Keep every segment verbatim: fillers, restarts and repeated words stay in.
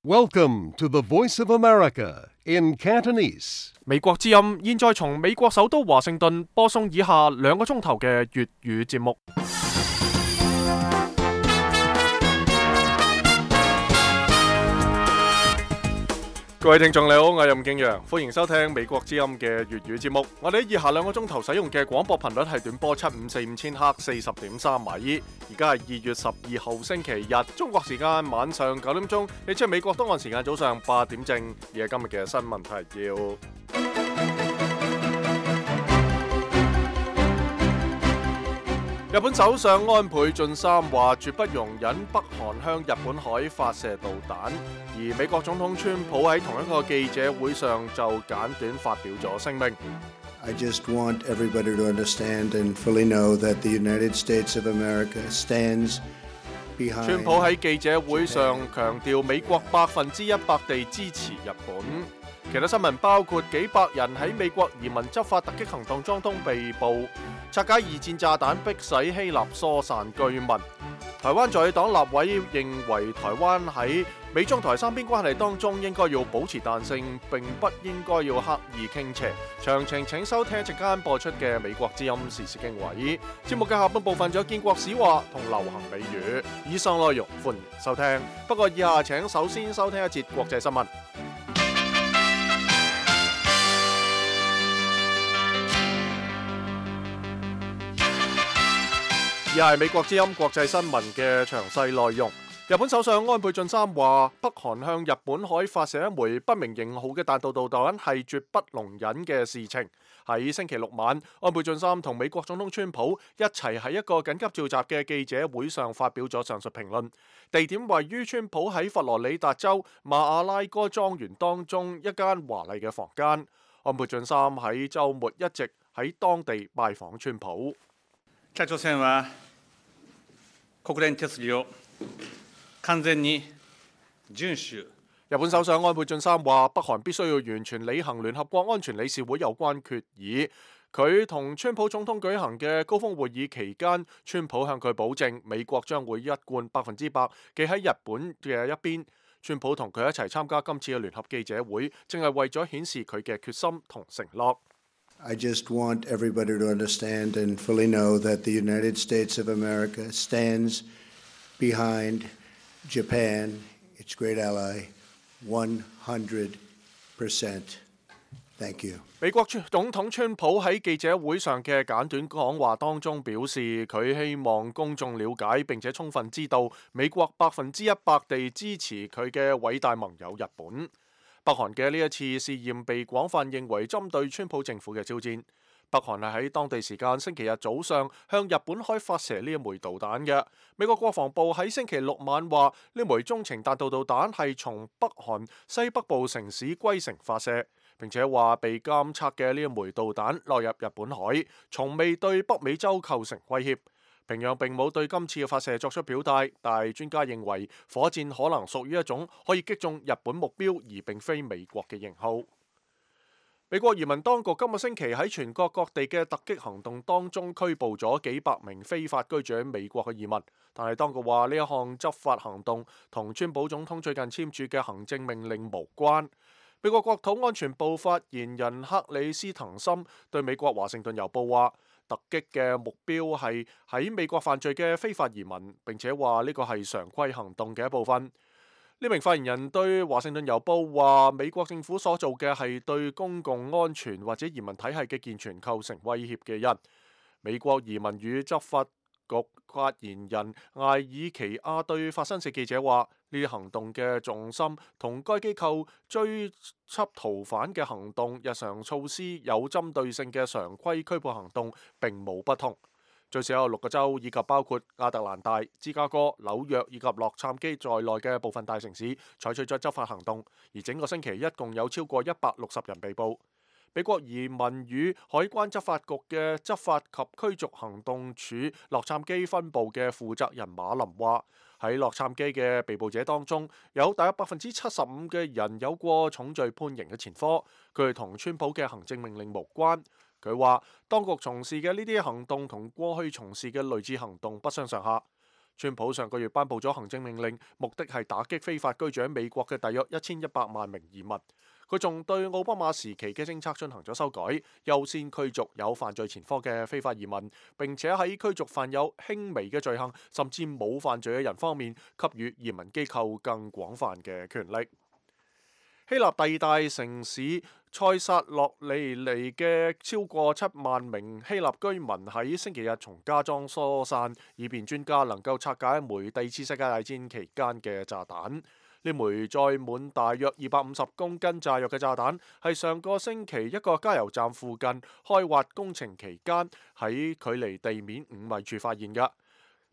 Welcome to the Voice of America in Cantonese. 美國之音現在從美國首都華盛頓播送以下兩個鐘頭嘅粵語節目。各位聽眾你好，我係任敬陽，歡迎收聽美國之音嘅粵語節目。我哋喺以下兩個鐘頭使用嘅廣播頻率係短波七五四五千赫四十點三米。而家係二月十二號星期日，中國時間晚上九點鐘，你即係美國東岸時間早上八點正。而係今日嘅新聞提要。日本首相安倍晉三話絕不容忍北韓向日本海發射導彈，而美國總統川普喺同一個記者會上就簡短發表咗聲明。I just want everybody to understand and fully know that the United States of America stands behind. 川普喺記者會上強調美國百分之一百地支持日本。其他新聞包括幾百人喺美國移民執法突擊行動當中被捕，拆解二戰炸彈迫使希臘疏散居民。台灣在野黨立委認為台灣喺美中台三邊關係當中應該要保持彈性，並不應該要刻意傾斜。詳情請收聽一陣間播出嘅美國之音時事經緯。節目嘅下半部分仲有建國史話同流行美語。以上內容歡迎收聽，不過以下請首先收聽一節國際新聞。而係美國之音國際新聞嘅詳細內容。日本首相安倍晉三話，北韓向日本海發射一枚不明型號嘅彈道導彈係絕不容忍嘅事情。喺星期六晚，安倍晉三同美國總統川普一齊喺一個緊急召集嘅記者會上發表咗上述評論。地點位於川普喺佛羅里達州馬阿拉哥莊園當中一間華麗嘅房間。安倍晉三喺週末一直喺當地拜訪川普。北朝鮮は國連決議を完全に遵守。日本首相安倍晉三話，北韓必須要完全履行聯合國安全理事會有關決議。佢同川普總統舉行嘅高峰會議期間，川普向佢保證，美國將會一貫百分之百企喺日本嘅一邊。川普同佢一齊參加今次嘅聯合記者會，正係為咗顯示佢嘅決心同承諾。I just want everybody to understand and fully know that the United States of America stands behind Japan, its great ally, one hundred percent. Thank you. 美國總統川普喺記者會上嘅簡短講話當中表示，佢希望公眾了解並且充分知道美國百分之一百地支持佢嘅偉大盟友日本。北韓嘅呢一次試驗被廣泛認為針對川普政府嘅挑戰。北韓係喺當地時間星期日早上向日本海發射呢一枚導彈嘅。美國國防部喺星期六晚話，呢枚中程彈道導彈係從北韓西北部城市龜城發射，並且話被監測嘅呢一枚導彈落入日本海，從未對北美洲構成威脅。平壤並冇對今次嘅發射作出表態，但係專家認為火箭可能屬於一種可以擊中日本目標而並非美國嘅型號。美國移民當局今個星期喺全國各地嘅突擊行動當中拘捕咗幾百名非法居住喺美國嘅移民，但係當局話呢一項執法行動同川普總統最近簽署嘅行政命令無關。美國國土安全部發言人克里斯滕森對美國華盛頓郵報話，突擊嘅目標係喺美國犯罪嘅非法移民，並且話呢個係常規行動嘅一部分。呢名發言人對華盛頓郵報話，美國政府所做嘅係對公共安全或者移民體系嘅健全構成威脅嘅人。美國移民與執法局發言人艾爾奇亞對法新社記者話，呢啲行動嘅重心同該機構追緝逃犯嘅行動日常措施有針對性嘅常規拘捕行動並冇不同。最少有六個州以及包括亞特蘭大、芝加哥、紐約以及洛杉磯在內嘅部分大城市採取咗執法行動，而整個星期一共有超過一百六十人被捕。美國移民與海關執法局嘅執法及驅逐行動處洛杉磯分部嘅負責人馬林話，喺洛杉磯嘅被捕者當中，有大約百分之七十五嘅人有過重罪判刑嘅前科，佢哋同川普嘅行政命令無關。佢話，當局從事嘅呢啲行動同過去從事嘅類似行動不相上下。川普上個月頒布咗行政命令，目的係打擊非法居住喺美國嘅大約一千一百萬名移民。佢仲對奧巴馬時期嘅政策進行咗修改，優先驅逐有犯罪前科嘅非法移民，並且喺驅逐犯有輕微嘅罪行甚至冇犯罪嘅人方面，給予移民機構更廣泛嘅權力。希臘第二大城市塞薩洛尼尼嘅超過七萬名希臘居民喺星期日從家中疏散，以便專家能夠拆解一枚第二次世界大戰期間嘅炸彈。呢枚載滿大約二百五十公斤炸藥嘅炸彈，係上個星期一個加油站附近開挖工程期間喺距離地面五米處發現嘅。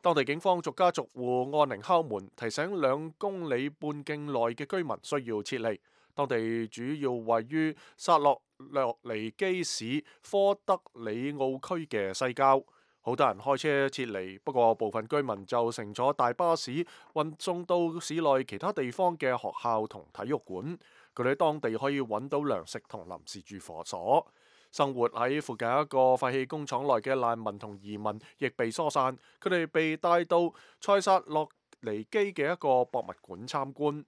當地警方逐家逐戶按鈴敲門，提醒兩公里半徑內嘅居民需要撤離。當地主要位於薩洛洛尼基市科德里奧區嘅西郊。好多人開車撤離，不過部分居民就乘坐大巴士運送到市內其他地方嘅學校同體育館。佢哋喺當地可以揾到糧食同臨時住所。生活喺附近一個廢棄工廠內嘅難民同移民亦被疏散，佢哋被帶到塞薩洛尼基嘅一個博物館參觀。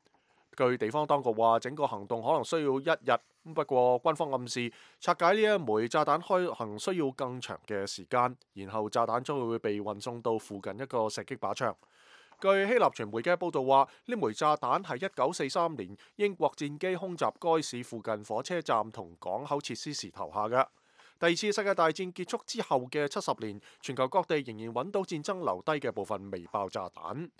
據地方當局話，整個行動可能需要一日。不過軍方暗示拆解呢一枚炸彈開行需要更長嘅時間，然後炸彈將會被運送到附近一個射擊靶場。據希臘傳媒嘅報導話，呢枚炸彈係一九四三年英國戰機空襲該市附近火車站同港口設施時投下嘅。第二次世界大戰結束之後嘅七十年，全球各地仍然揾到戰爭留低嘅部分微爆炸彈。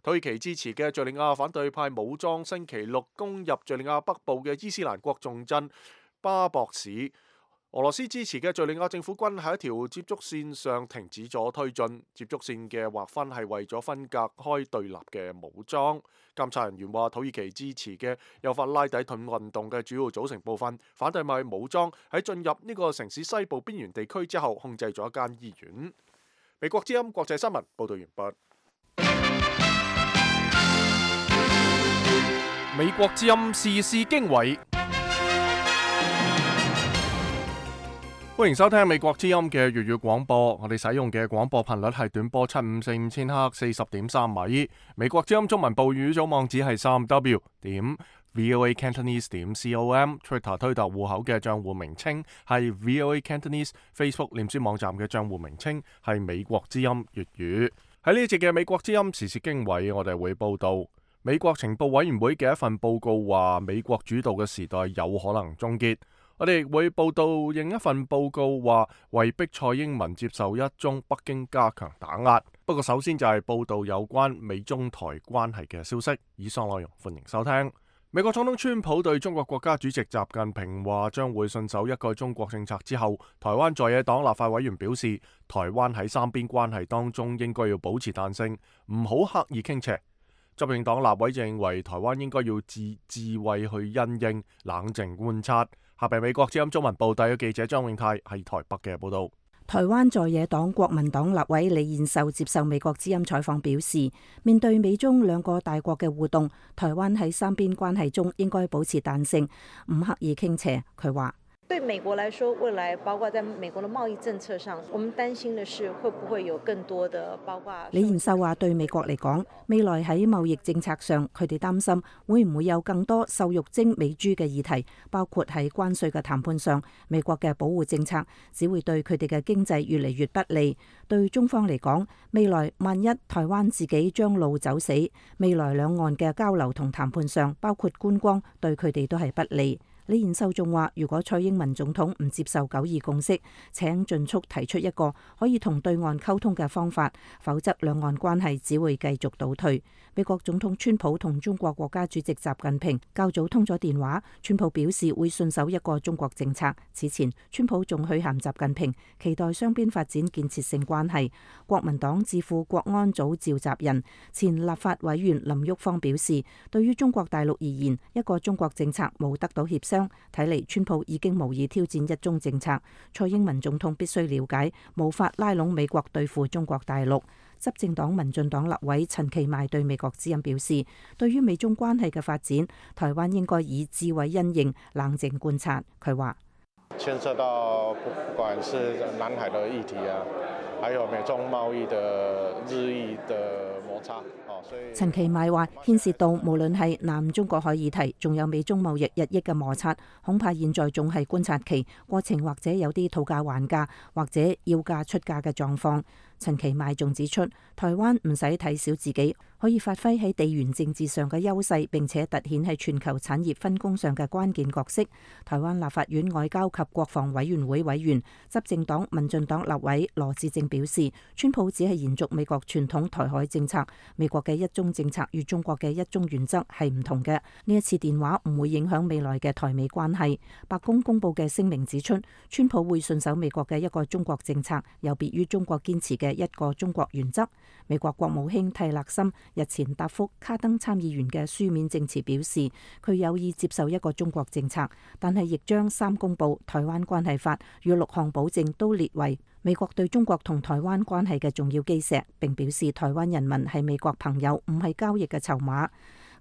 土耳其支持嘅敘利亞反對派武裝星期六攻入敘利亞北部嘅伊斯蘭國重鎮巴博市。俄羅斯支持嘅敘利亞政府軍喺一條接觸線上停止咗推進。接觸線嘅劃分係為咗分隔開對立嘅武裝。監察人員話，土耳其支持嘅幼發拉底盾運動嘅主要組成部分反對派武裝喺進入呢個城市西部邊緣地區之後，控制咗一間醫院。美國之音國際新聞報道完畢。美國之音時事經緯，歡迎收聽美國之音嘅粵語廣播。我哋使用嘅廣播頻率係短波七五四五千赫四十點三米。美國之音中文部語組網址係三 w 點 voa cantonese 點 com。Twitter 推特戶口嘅賬戶名稱係 voa cantonese。Facebook 臉書網站嘅賬戶名稱係美國之音粵語。喺呢一節嘅美國之音時事經緯，我哋會報道。美國情報委員會嘅一份報告話，美國主導嘅時代有可能終結。我哋亦會報道另一份報告話，為逼蔡英文接受一宗北京加強打壓。不過首先就係報道有關美中台關係嘅消息。以上內容歡迎收聽。美國總統川普對中國國家主席習近平話將會信守一個中國政策之後，台灣在野黨立法委員表示，台灣喺三邊關係當中應該要保持彈性，唔好刻意傾斜。執政黨立委就認為台灣應該要自智慧去因應，冷靜觀察。下邊美國之音中文部第一記者張永泰喺台北嘅報道。台灣在野黨國民黨立委李彥秀接受美國之音採訪表示，面對美中兩個大國嘅互動，台灣喺三邊關係中應該保持彈性，唔刻意傾斜。佢話：對美國來說，未來包括在美國的貿易政策上，我們擔心的是會不會有更多的包括。李彥秀話：對美國嚟講，未來喺貿易政策上，佢哋擔心會唔會有更多瘦肉精美豬嘅議題，包括喺關稅嘅談判上，美國嘅保護政策只會對佢哋嘅經濟越嚟越不利。對中方嚟講，未來萬一台灣自己將路走死，未來兩岸嘅交流同談判上，包括觀光，對佢哋都係不利。李彥秀仲話，如果蔡英文總統唔接受九二共識，請盡速提出一個可以同對岸溝通嘅方法，否則兩岸關係只會繼續倒退。美國總統川普同中國國家主席習近平較早通咗電話，川普表示會信守一個中國政策。此前，川普仲許函習近平，期待雙邊發展建設性關係。國民黨智庫國安組召集人、前立法委員林旭芳表示，對於中國大陸而言，一個中國政策冇得到協商。睇嚟，川普已經無意挑戰一中政策。蔡英文總統必須了解，無法拉攏美國對付中國大陸。執政黨民進黨立委陳其邁對美國之音表示，對於美中關係嘅發展，台灣應該以智慧因應，冷靜觀察。佢話：牽涉到不不管是南海的議題啊，還有美中貿易的日益的摩擦。陳其邁話：牽涉到無論係南中國海議題，仲有美中貿易日益嘅摩擦，恐怕現在仲係觀察期，過程或者有啲討價還價或者要價出價嘅狀況。陳其邁仲指出，台灣唔使睇小自己，可以發揮喺地緣政治上嘅優勢，並且凸顯喺全球產業分工上嘅關鍵角色。台灣立法院外交及國防委員會委員、執政黨民進黨立委羅致政表示，川普只係延續美國傳統台海政策，美國嘅一中政策與中國嘅一中原則係唔同嘅。呢一次電話唔會影響未來嘅台美關係。白宮公佈嘅聲明指出，川普會信守美國嘅一個中國政策，有別於中國堅持嘅一個中國原則。美國國務卿蒂勒森日前答覆卡登參議員嘅書面證詞表示，佢有意接受一個中國政策，但係亦將三公報、台灣關係法與六項保證都列為美國對中國同台灣關係嘅重要基石，並表示台灣人民係美國朋友，唔係交易嘅籌碼。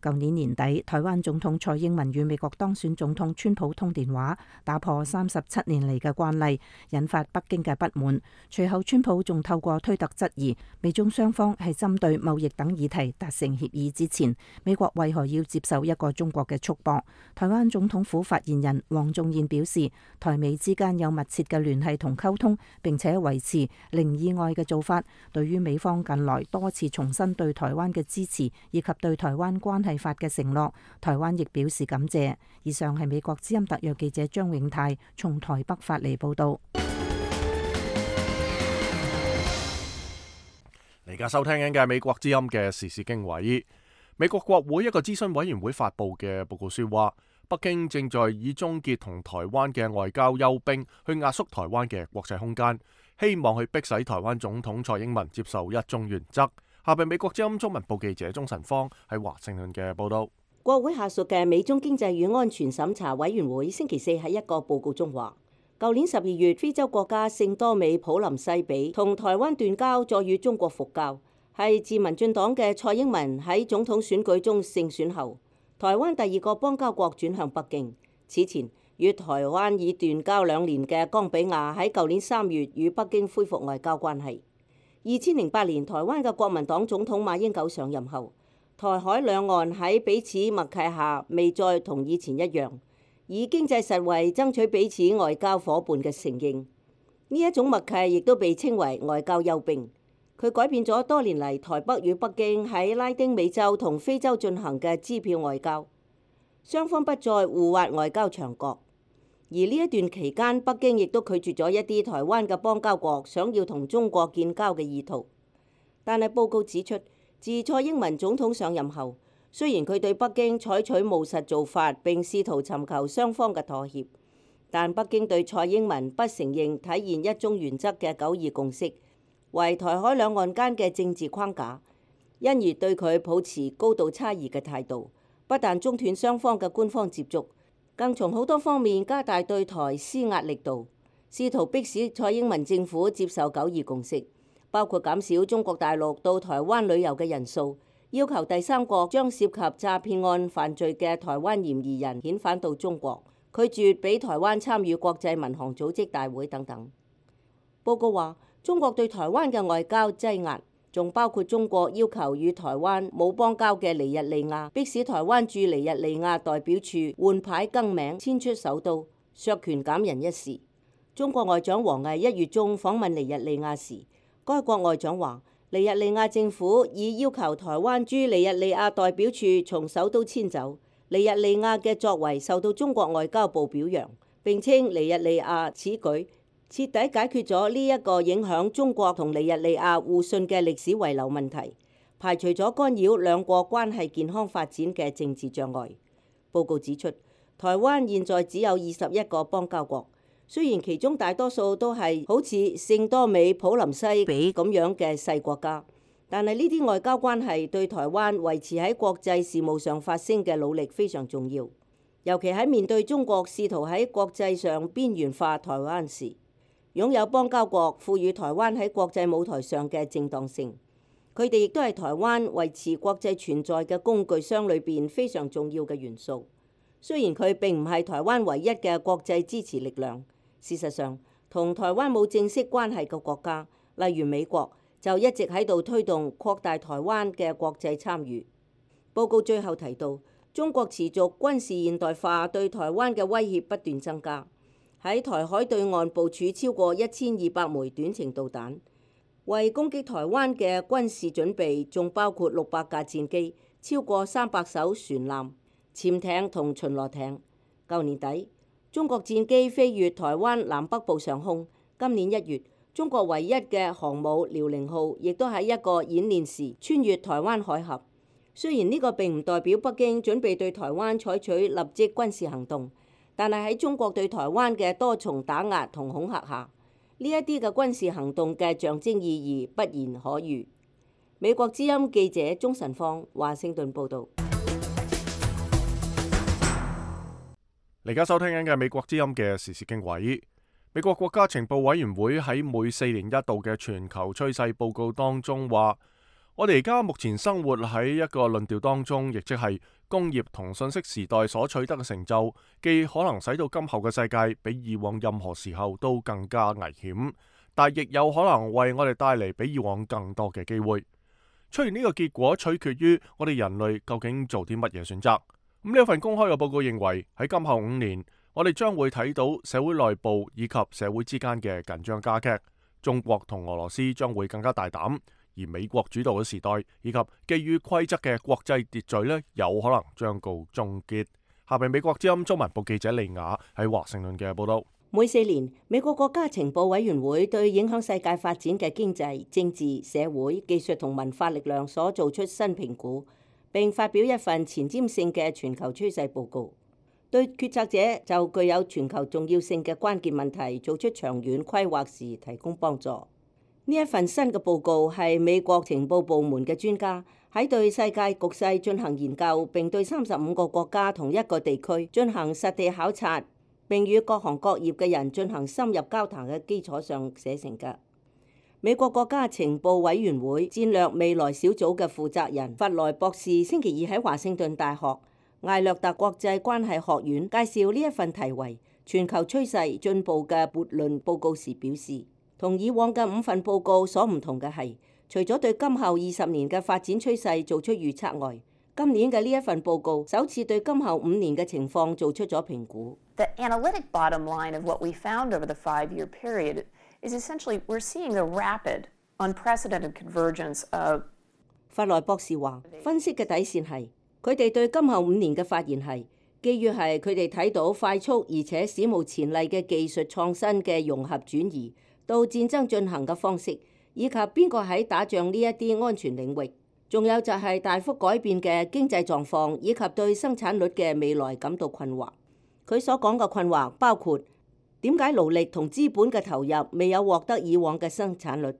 舊年年底，台灣總統蔡英文與美國當選總統川普通電話，打破三十七年嚟嘅慣例，引發北京嘅不滿。隨後，川普仲透過推特質疑美中雙方係針對貿易等議題達成協議之前，美國為何要接受一個中國嘅束縛？台灣總統府發言人黃仲彥表示，台美之間有密切嘅聯繫同溝通，並且維持零意外嘅做法。對於美方近來多次重申對台灣嘅支持，以及對台灣關係法嘅承諾，台灣亦表示感謝。以上係美國之音特約記者張永泰從台北發嚟報道。你而家收聽緊嘅美國之音嘅時事經緯。美國國會一個諮詢委員會發佈嘅報告書話，北京正在以終結同台灣嘅外交休兵去壓縮台灣嘅國際空間，希望去迫使台灣總統蔡英文接受一中原則。下邊美國之音中文部記者鍾晨芳喺華盛頓嘅報道。國會下屬嘅美中經濟與安全審查委員會星期四喺一個報告中話，舊年十二月非洲國家聖多美普林西比同台灣斷交，再與中國復交，係自民進黨嘅蔡英文喺總統選舉中勝選後，台灣第二個邦交國轉向北京。此前與台灣已斷交兩年嘅岡比亞喺舊年三月與北京恢復外交關係。二千零八年，台灣嘅國民黨總統馬英九上任後，台海兩岸喺彼此默契下，未再同以前一樣，以經濟實惠爭取彼此外交夥伴嘅承認。呢一種默契亦都被稱為外交休兵。佢改變咗多年嚟台北與北京喺拉丁美洲同非洲進行嘅支票外交，雙方不再互挖外交牆角。而呢一段期間，北京亦都拒絕咗一啲台灣嘅邦交國想要同中國建交嘅意圖。但係報告指出，自蔡英文總統上任後，雖然佢對北京採取務實做法並試圖尋求雙方嘅妥協，但北京對蔡英文不承認體現一中原則嘅九二共識為台海兩岸間嘅政治框架，因而對佢抱持高度差異嘅態度，不但中斷雙方嘅官方接觸，更從好多方面加大對台施壓力度，試圖迫使蔡英文政府接受九二共識，包括減少中國大陸到台灣旅遊嘅人數，要求第三國將涉及詐騙案犯罪嘅台灣嫌疑人遣返到中國，拒絕俾台灣參與國際民航組織大會等等。報告話，中國對台灣嘅外交擠壓，仲包括中國要求與台灣冇邦交嘅尼日利亞，迫使台灣駐尼日利亞代表處換牌更名、遷出首都、削權減人一事。中國外長王毅一月中訪問尼日利亞時，該國外長話，尼日利亞政府已要求台灣駐尼日利亞代表處從首都遷走。尼日利亞嘅作為受到中國外交部表揚，並稱尼日利亞此舉徹底解決咗呢一個影響中國同尼日利亞互信嘅歷史遺留問題，排除咗干擾兩國關係健康發展嘅政治障礙。報告指出，台灣現在只有二十一個邦交國，雖然其中大多數都係好似聖多美普林西比咁樣嘅細國家，但係呢啲外交關係對台灣維持喺國際事務上發聲嘅努力非常重要，尤其喺面對中國試圖喺國際上邊緣化台灣時，擁有邦交國賦予台灣喺國際舞台上嘅正當性，佢哋亦都係台灣維持國際存在嘅工具箱裏邊非常重要嘅元素。雖然佢並唔係台灣唯一嘅國際支持力量，事實上，同台灣冇正式關係嘅國家，例如美國，就一直喺度推動擴大台灣嘅國際參與。報告最後提到，中國持續軍事現代化對台灣嘅威脅不斷增加，喺台海對岸部署超過一千二百枚短程導彈，為攻擊台灣嘅軍事準備仲包括六百架戰機、超過三百艘船艦、潛艇同巡邏艇。舊年底，中國戰機飛越台灣南北部上空。今年一月，中國唯一嘅航母遼寧號亦都喺一個演練時穿越台灣海峽。雖然呢個並唔代表北京準備對台灣採取立即軍事行動，但係喺中國對台灣嘅多重打壓同恐嚇下，呢一啲嘅軍事行動嘅象徵意義不言可喻。美國之音記者鍾晨芳華盛頓報導。你而家收聽緊嘅美國之音嘅時事經緯。美國國家情報委員會喺每四年一度嘅全球趨勢報告當中話，我哋而家目前生活喺一個論調當中，亦即係工業同信息時代所取得嘅成就，既可能使到今後嘅世界比以往任何時候都更加危險，但亦有可能為我哋帶嚟比以往更多嘅機會。出現呢個結果取決於我哋人類究竟做啲乜嘢選擇。咁呢一份公開嘅報告認為，喺今後五年，我哋將會睇到社會內部以及社會之間嘅緊張加劇，中國同俄羅斯將會更加大膽。而美國主導嘅時代以及基於規則嘅國際秩序呢，有可能將告終結。下邊美國之音中文部記者利雅喺華盛頓嘅報道。每四年，美國國家情報委員會對影響世界發展嘅經濟、政治、社會、技術同文化力量所做出新評估，並發表一份前瞻性嘅全球趨勢報告，對決策者就具有全球重要性嘅關鍵問題做出長遠規劃時提供幫助。呢一份新嘅報告係美國情報部門嘅專家喺對世界局勢進行研究，並對三十五個國家同一個地區進行實地考察，並與各行各業嘅人進行深入交談嘅基礎上寫成嘅。美國國家情報委員會戰略未來小組嘅負責人弗萊博士星期二喺華盛頓大學艾略特國際關係學院介紹呢一份題為全球趨勢進步嘅悖論報告時表示，同以往嘅五份報告所唔同嘅係，除咗對今後二十年嘅發展趨勢做出預測外，今年嘅呢一份報告首次對今後五年嘅情況做出咗評估。The analytic bottom line of what we found over the five-year period is essentially we're seeing the rapid, unprecedented convergence of。弗萊博士話，分析嘅底線係，佢哋對今後五年嘅發現係，基於係佢哋睇到快速而且史無前例嘅技術創新嘅融合轉移到戰爭進行嘅方式，以及邊個喺打仗呢一啲安全領域，仲有就係大幅改變嘅經濟狀況，以及對生產率嘅未來感到困惑。佢所講嘅困惑包括點解勞力同資本嘅投入未有獲得以往嘅生產率？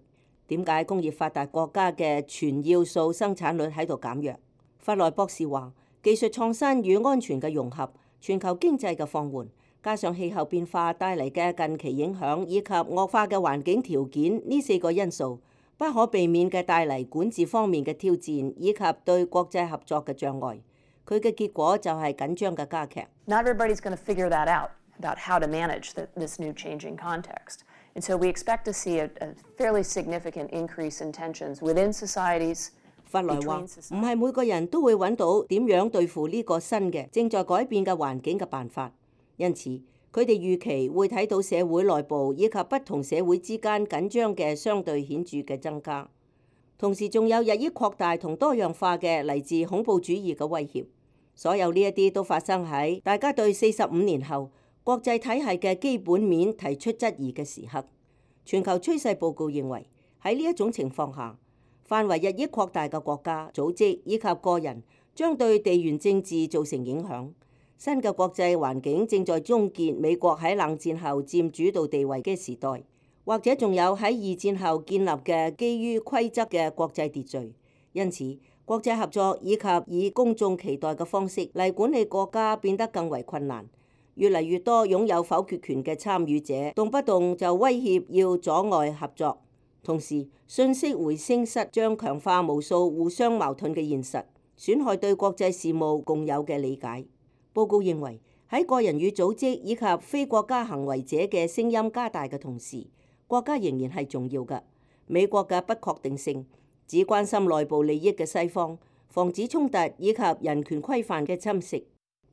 點解工業發達國家嘅全要素生產率喺度減弱？弗萊博士話，技術創新與安全嘅融合，全球經濟嘅放緩，加上氣候變化帶嚟嘅近期影響，以及惡化嘅環境條件，呢四個因素不可避免嘅帶嚟管治方面嘅挑戰，以及對國際合作嘅障礙。佢嘅結果就係緊張嘅加劇。Not everybody's going to figure that out about how to manage the, this new changing context. And so we expect to see a, a fairly significant increase in tensions within societies. 弗萊話，唔係每個人都會揾到點樣對付呢個新嘅正在改變嘅環境嘅辦法。因此，佢哋預期會睇到社會內部以及不同社會之間緊張嘅相對顯著嘅增加，同時仲有日益擴大同多樣化嘅嚟自恐怖主義嘅威脅。所有呢一啲都發生喺大家對四十五年後國際體系嘅基本面提出質疑嘅時刻。全球趨勢報告認為，喺呢一種情況下，範圍日益擴大嘅國家、組織以及個人將對地緣政治造成影響。新嘅國際環境正在終結美國喺冷戰後佔主導地位嘅時代，或者仲有喺二戰後建立嘅基於規則嘅國際秩序。因此，國際合作以及以公眾期待嘅方式嚟管理國家變得更為困難。越嚟越多擁有否決權嘅參與者，動不動就威脅要阻礙合作。同時，信息回聲室將強化無數互相矛盾嘅現實，損害對國際事務共有嘅理解。報告認為，喺個人與組織以及非國家行為者嘅聲音加大嘅同時，國家仍然係重要嘅。美國嘅不確定性，只關心內部利益嘅西方，防止衝突以及人權規範嘅侵蝕，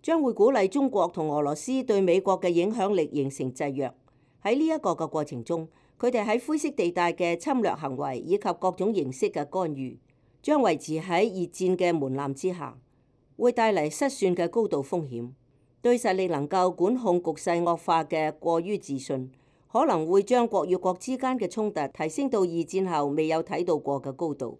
將會鼓勵中國同俄羅斯對美國嘅影響力形成制約。喺呢一個嘅過程中，佢哋喺灰色地帶嘅侵略行為以及各種形式嘅干預，將維持喺熱戰嘅門檻之下，會帶嚟失算嘅高度風險。對實力能夠管控局勢惡化嘅過於自信，可能會將國與國之間嘅衝突提升到二戰後未有睇到過嘅高度。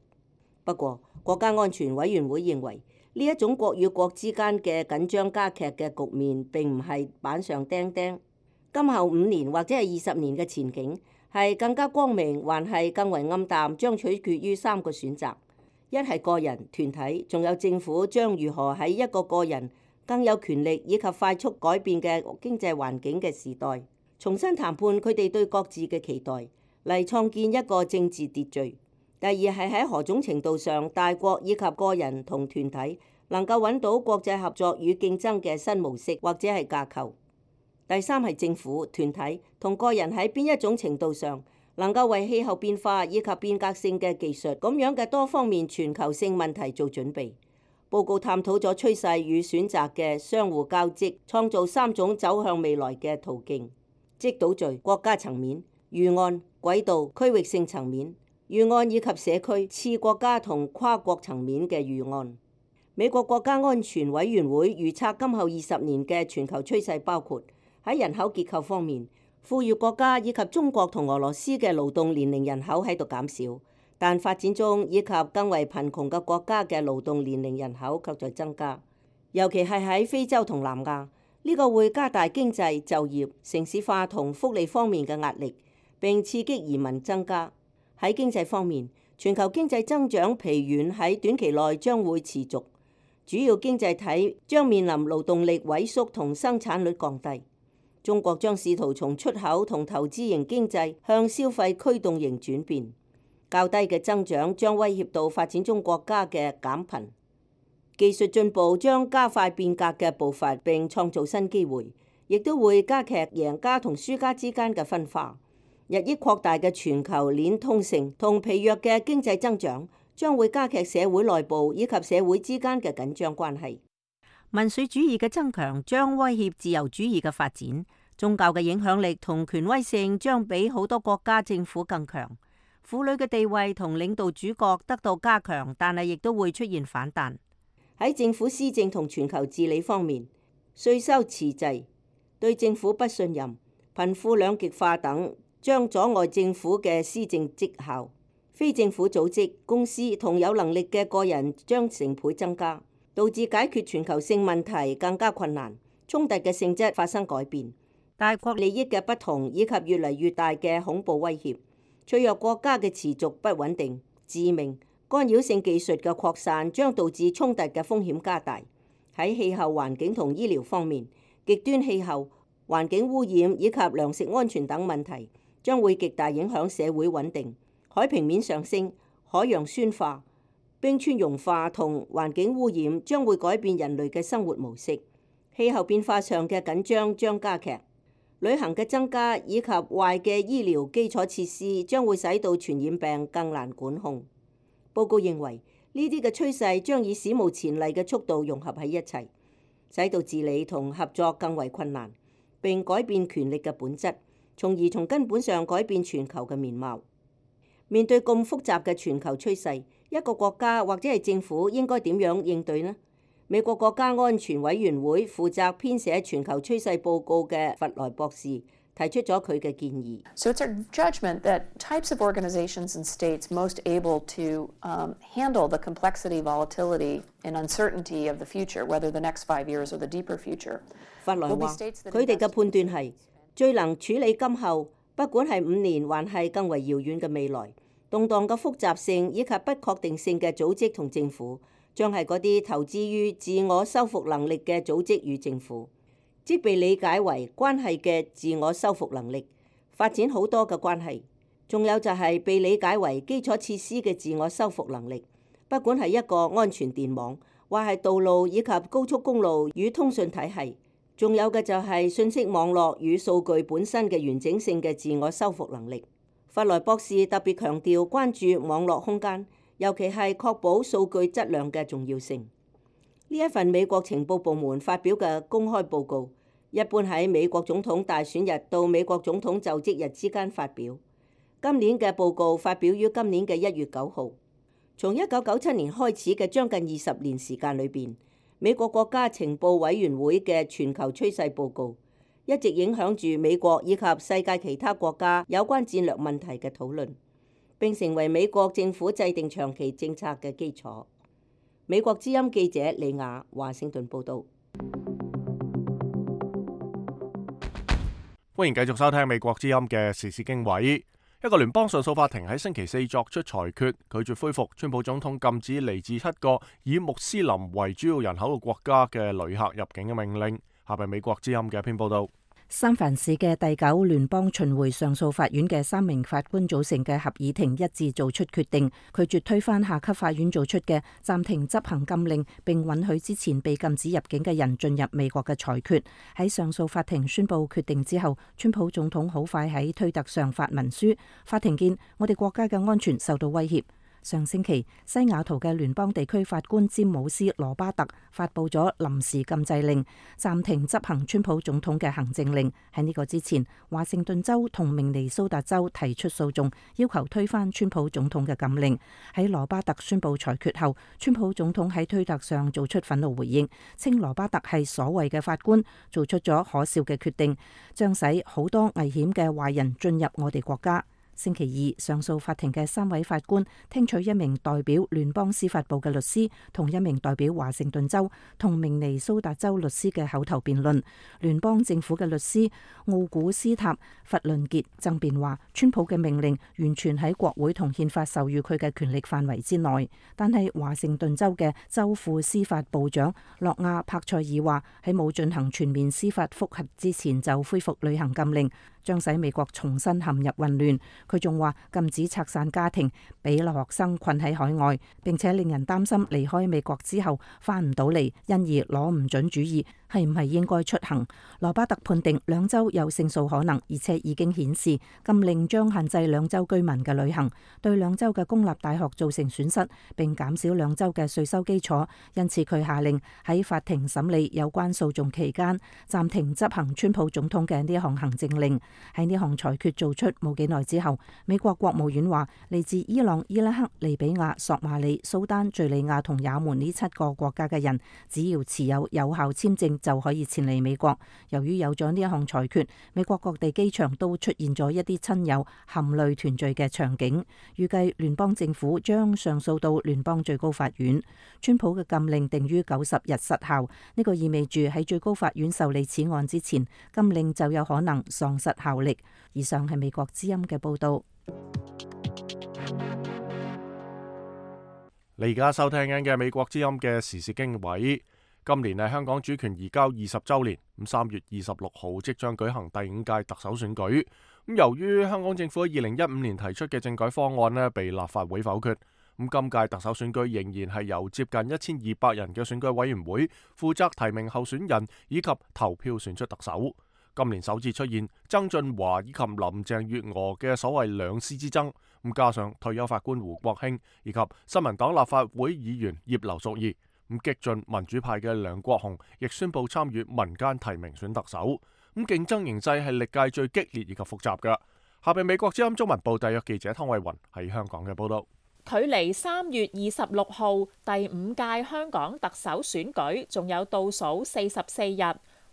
不過，國家安全委員會認為呢一種國與國之間嘅緊張加劇嘅局面並唔係板上釘釘。今後五年或者係二十年嘅前景係更加光明，還係更為暗淡，將取決於三個選擇：一係個人、團體，仲有政府將如何喺一個個人更有權力以及快速改變嘅經濟環境嘅時代，重新談判佢哋對各自嘅期待，嚟創建一個政治秩序。第二係喺何種程度上，大國以及個人同團體能夠揾到國際合作與競爭嘅新模式或者係架構。第三係政府、團體同個人喺邊一種程度上能夠為氣候變化以及變革性嘅技術咁樣嘅多方面全球性問題做準備。報告探討咗趨勢與選擇嘅相互交織，創造三種走向未來嘅途徑，即島嶼、國家層面、預案、軌道、區域性層面、預案以及社區、次國家同跨國層面嘅預案。美國國家安全委員會預測今後二十年嘅全球趨勢包括喺人口結構方面，富裕國家以及中國同俄羅斯嘅勞動年齡人口喺度減少，但發展中以及更為貧窮嘅國家嘅勞動年齡人口卻在增加，尤其係喺非洲同南亞。呢個會加大經濟、就業、城市化同福利方面嘅壓力，並刺激移民增加。喺經濟方面，全球經濟增長疲軟喺短期內將會持續，主要經濟體將面臨勞動力萎縮同生產率降低。中國將試圖從出口同投資型經濟向消費驅動型轉變，較低嘅增長將威脅到發展中國家嘅減貧。技術進步將加快變革嘅步伐並創造新機會，亦都會加劇贏家同輸家之間嘅分化。日益擴大嘅全球鏈通性同疲弱嘅經濟增長將會加劇社會內部以及社會之間嘅緊張關係。民粹主義嘅增強將威脅自由主義嘅發展，宗教嘅影響力同權威性將比好多國家政府更強，婦女嘅地位同領導主角得到加強，但係亦都會出現反彈。喺政府施政同全球治理方面，稅收遲滯、對政府不信任、貧富兩極化等將阻礙政府嘅施政績效。非政府組織、公司同有能力嘅個人將成倍增加，導致解決全球性問題更加困難，衝突嘅性質發生改變，大國利益嘅不同以及越嚟越大嘅恐怖威脅，脆弱國家嘅持續不穩定、致命、干擾性技術嘅擴散將導致衝突嘅風險加大。喺氣候環境同醫療方面，極端氣候、環境污染以及糧食安全等問題將會極大影響社會穩定。海平面上升、海洋酸化、冰川融化同環境污染將會改變人類嘅生活模式。氣候變化上嘅緊張將加劇，旅行嘅增加以及壞嘅醫療基礎設施將會使到傳染病更難管控。報告認為呢啲嘅趨勢將以史無前例嘅速度融合喺一齊，使到治理同合作更為困難，並改變權力嘅本質，從而從根本上改變全球嘅面貌。面對咁複雜嘅全球趨勢，一個國家或者係政府應該點樣應對呢？美國國家安全委員會負責編寫全球趨勢報告嘅弗萊博士提出咗佢嘅建議。So it's our judgment that types of organizations and states most able to um, handle the complexity, volatility, and uncertainty of the future, whether the next five years or the deeper future. 弗萊話，佢哋嘅判斷係最能處理今後，不管係五年還係更為遙遠嘅未來，動盪嘅複雜性以及不確定性嘅組織同政府，將係嗰啲投資於自我修復能力嘅組織與政府，即被理解為關係嘅自我修復能力，發展好多嘅關係。仲有就係被理解為基礎設施嘅自我修復能力，不管係一個安全電網，或係道路以及高速公路與通訊體系。仲有嘅就係信息網絡與數據本身嘅完整性嘅自我修復能力。弗萊博士特別強調關注網絡空間，尤其係確保數據質量嘅重要性。呢一份美國情報部門發表嘅公開報告，一般喺美國總統大選日到美國總統就職日之間發表。今年嘅報告發表於今年嘅一月九號。從一九九七年開始嘅將近二十年時間裏邊，美國國家情報委員會嘅全球趨勢報告一直影響住美國以及世界其他國家有關戰略問題嘅討論，並成為美國政府制定長期政策嘅基礎。美國之音記者李雅華盛頓報道。歡迎繼續收聽美國之音嘅時事經緯。一個聯邦上訴法庭喺星期四作出裁決，拒絕恢復川普總統禁止嚟自七個以穆斯林為主要人口嘅國家嘅旅客入境嘅命令。下邊美國之音嘅一篇報道。三藩市嘅第九聯邦巡迴上訴法院嘅三名法官組成嘅合議庭一致做出決定，拒絕推翻下級法院做出嘅暫停執行禁令，並允許之前被禁止入境嘅人進入美國嘅裁決。喺上訴法庭宣布決定之後，川普總統好快喺推特上發文書，法庭見我哋國家嘅安全受到威脅。上星期，西雅圖嘅聯邦地區法官詹姆斯羅巴特發布咗臨時禁制令，暫停執行川普總統嘅行政令。喺呢個之前，華盛頓州同明尼蘇達州提出訴訟，要求推翻川普總統嘅禁令。喺羅巴特宣布裁決後，川普總統喺推特上做出憤怒回應，稱羅巴特係所謂嘅法官做出咗可笑嘅決定，將使好多危險嘅壞人進入我哋國家。星期二，上訴法庭嘅三位法官聽取一名代表聯邦司法部嘅律師同一名代表華盛頓州同明尼蘇達州律師嘅口頭辯論。聯邦政府嘅律師奧古斯塔弗倫傑爭辯話，川普嘅命令完全喺國會同憲法授予佢嘅權力範圍之內，但係華盛頓州嘅州副司法部長諾亞柏塞爾話，喺冇進行全面司法覆核之前就恢復履行禁令，將使美國重新陷入混亂。佢仲話禁止拆散家庭，俾留學生困喺海外，並且令人擔心離開美國之後翻唔到嚟，因而攞唔準主意係唔係應該出行。羅巴特判定兩州有勝訴可能，而且已經顯示禁令將限制兩州居民嘅旅行，對兩州嘅公立大學造成損失，並減少兩州嘅稅收基礎。因此佢下令喺法庭審理有關訴訟期間暫停執行川普總統嘅呢一項行政令。喺呢項裁決做出冇幾耐之後，美國國務院話嚟自伊朗、伊拉克、利比亞、索馬里、蘇丹、敘利亞同也門呢七個國家嘅人，只要持有有效簽證就可以前嚟美國。由於有咗呢一項裁決，美國各地機場都出現咗一啲親友含淚團聚嘅場景。預計聯邦政府將上訴到聯邦最高法院。川普嘅禁令定於九十日失效，呢個意味住喺最高法院受理此案之前，禁令就有可能喪失效力。以上係美國之音嘅報道。你而家收聽緊嘅美國之音嘅時事經緯。今年係香港主權移交二十週年，咁三月二十六號即將舉行第五屆特首選舉。咁由於香港政府喺二零一五年提出嘅政改方案呢被立法會否決，咁今屆特首選舉仍然係由接近一千二百人嘅選舉委員會負責提名候選人以及投票選出特首。今年首次出現曾俊華以及林鄭月娥嘅所謂兩師之爭，咁加上退休法官胡國興以及新民黨立法會議員葉劉淑儀，咁激進民主派嘅梁國雄亦宣布參與民間提名選特首，咁競爭形勢係歷屆最激烈以及複雜嘅。下邊美國之音中文部特約記者湯慧雲喺香港嘅報道。距離三月二十六號第五屆香港特首選舉仲有倒數四十四日。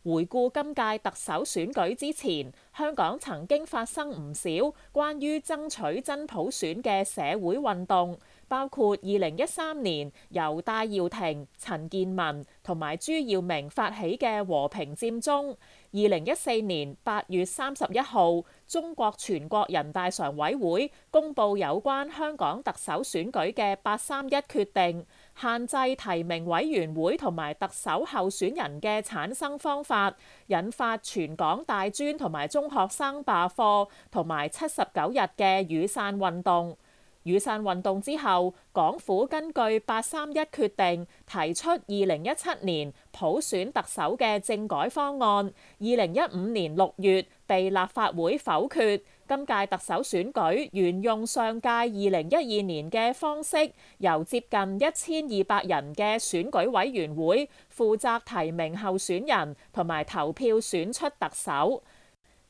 回顧今屆特首選舉之前，香港曾經發生唔少關於爭取真普選嘅社會運動，包括二零一三年由戴耀廷、陳健民同埋朱耀明發起嘅和平佔中；二零一四年八月三十一號，中國全國人大常委會公佈有關香港特首選舉嘅八三一決定，限制提名委員會同埋特首候選人嘅產生方法，引發全港大專同埋中學生罷課同埋七十九日嘅雨傘運動。雨傘運動之後，港府根據八三一決定提出二零一七年普選特首嘅政改方案，二零一五年六月被立法會否決。今屆特首選舉沿用上屆二零一二年嘅方式，由接近一千二百人嘅選舉委員會負責提名候選人同埋投票選出特首。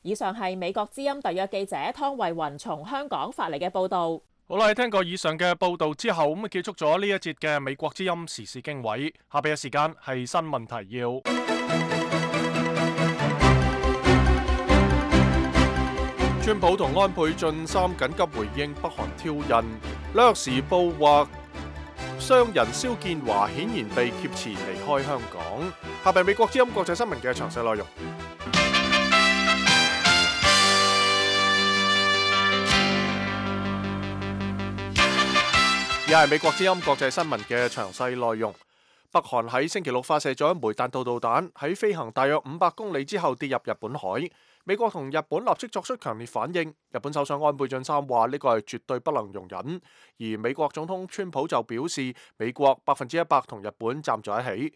以上係美國之音特約記者湯慧雲從香港發嚟嘅報導。好啦，聽過以上嘅報導之後，咁啊結束咗呢一節嘅美國之音時事經緯。下邊嘅時間係新聞提要。川普同安倍晉三緊急回應北韓挑釁。紐約時報話，商人蕭建華顯然被挾持離開香港。下邊美國之音國際新聞嘅詳細內容。而係美國之音國際新聞嘅詳細內容。北韓喺星期六發射咗一枚彈道導彈，喺飛行大約五百公里之後跌入日本海。美國同日本立即作出強烈反應。日本首相安倍晉三話呢個係絕對不能容忍，而美國總統川普就表示美國百分之一百同日本站在一起。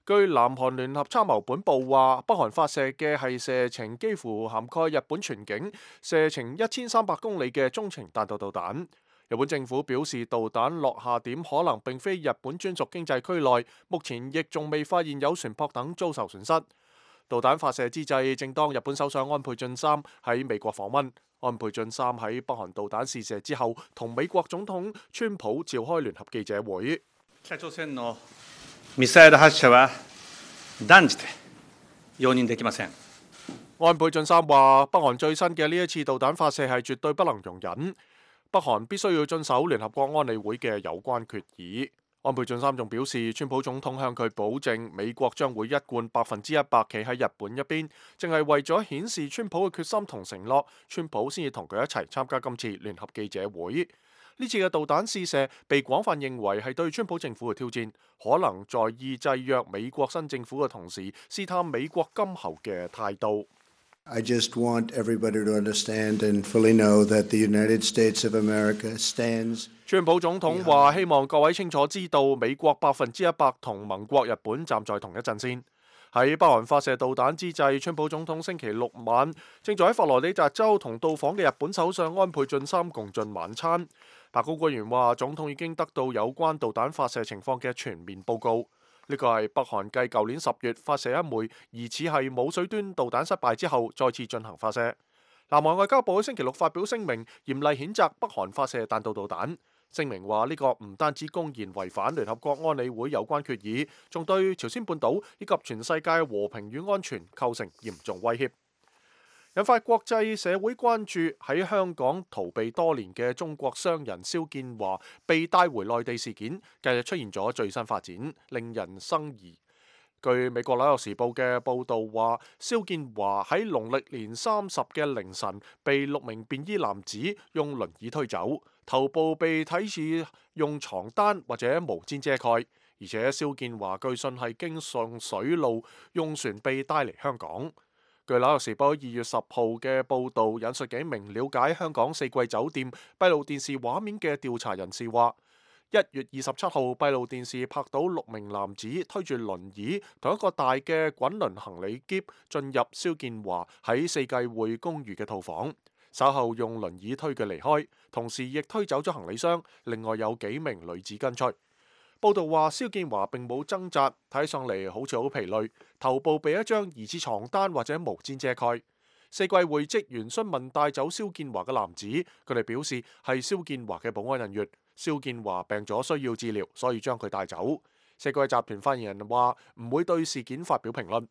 據南韓聯合參謀本部話，北韓發射嘅係射程幾乎涵蓋日本全境、射程一千三百公里嘅中程彈道導彈。日本政府表示，導彈落下點可能並非日本專屬經濟區內，目前亦仲未發現有船舶等遭受損失。導彈發射之際，正當日本首相安倍晉三喺美國訪問。安倍晉三喺北韓導彈試射之後，同美國總統川普召開聯合記者會。北朝鮮のミサイル発射は斷じて容認できません。安倍晉三話：北韓最新嘅呢一次導彈發射係絕對不能容忍，北韓必須要遵守聯合國安理會嘅有關決議。安倍晉三仲表示，川普總統向佢保證，美國將會一貫百分之一百企喺日本一邊，淨係為咗顯示川普嘅決心同承諾，川普先至同佢一齊參加今次聯合記者會。呢次嘅導彈試射被廣泛認為係對川普政府嘅挑戰，可能在意制約美國新政府嘅同時，試探美國今後嘅態度。I just want everybody to understand and fully know that the United States of America stands. 川普總統話：希望各位清楚知道，美國百分之一百同盟國日本站在同一陣線。喺北韓發射導彈之際，川普總統星期六晚正在喺佛羅里達州同到訪嘅日本首相安倍晉三共進晚餐。白宮官員話，總統已經得到有關導彈發射情況嘅全面報告。呢個係北韓繼舊年十月發射一枚疑似係冇水端導彈失敗之後，再次進行發射。南韓外交部喺星期六發表聲明，嚴厲譴責北韓發射彈道導彈。聲明話呢個唔單止公然違反聯合國安理會有關決議，仲對朝鮮半島以及全世界和平與安全構成嚴重威脅，引發國際社會關注。喺香港逃避多年嘅中國商人蕭建華被帶回內地事件，近日出現咗最新發展，令人生疑。據美國紐約時報嘅報導話，蕭建華喺農曆年三十嘅凌晨被六名便衣男子用輪椅推走，頭部被睇似用床單或者毛氈遮蓋，而且蕭建華據信係經上水路用船被帶嚟香港。據紐約時報二月十號嘅報導引述幾名了解香港四季酒店閉路電視畫面嘅調查人士話，一月二十七號閉路電視拍到六名男子推住輪椅同一個大嘅滾輪行李篋進入蕭建華喺四季匯公寓嘅套房，稍後用輪椅推佢離開，同時亦推走咗行李箱，另外有幾名女子跟隨。報道話，蕭建華並冇掙扎，睇上嚟好似好疲累，頭部被一張疑似床單或者毛氈遮蓋。四季匯職員詢問帶走蕭建華嘅男子，佢哋表示係蕭建華嘅保安人員。蕭建華病咗需要治療，所以將佢帶走。四季集團發言人話唔會對事件發表評論。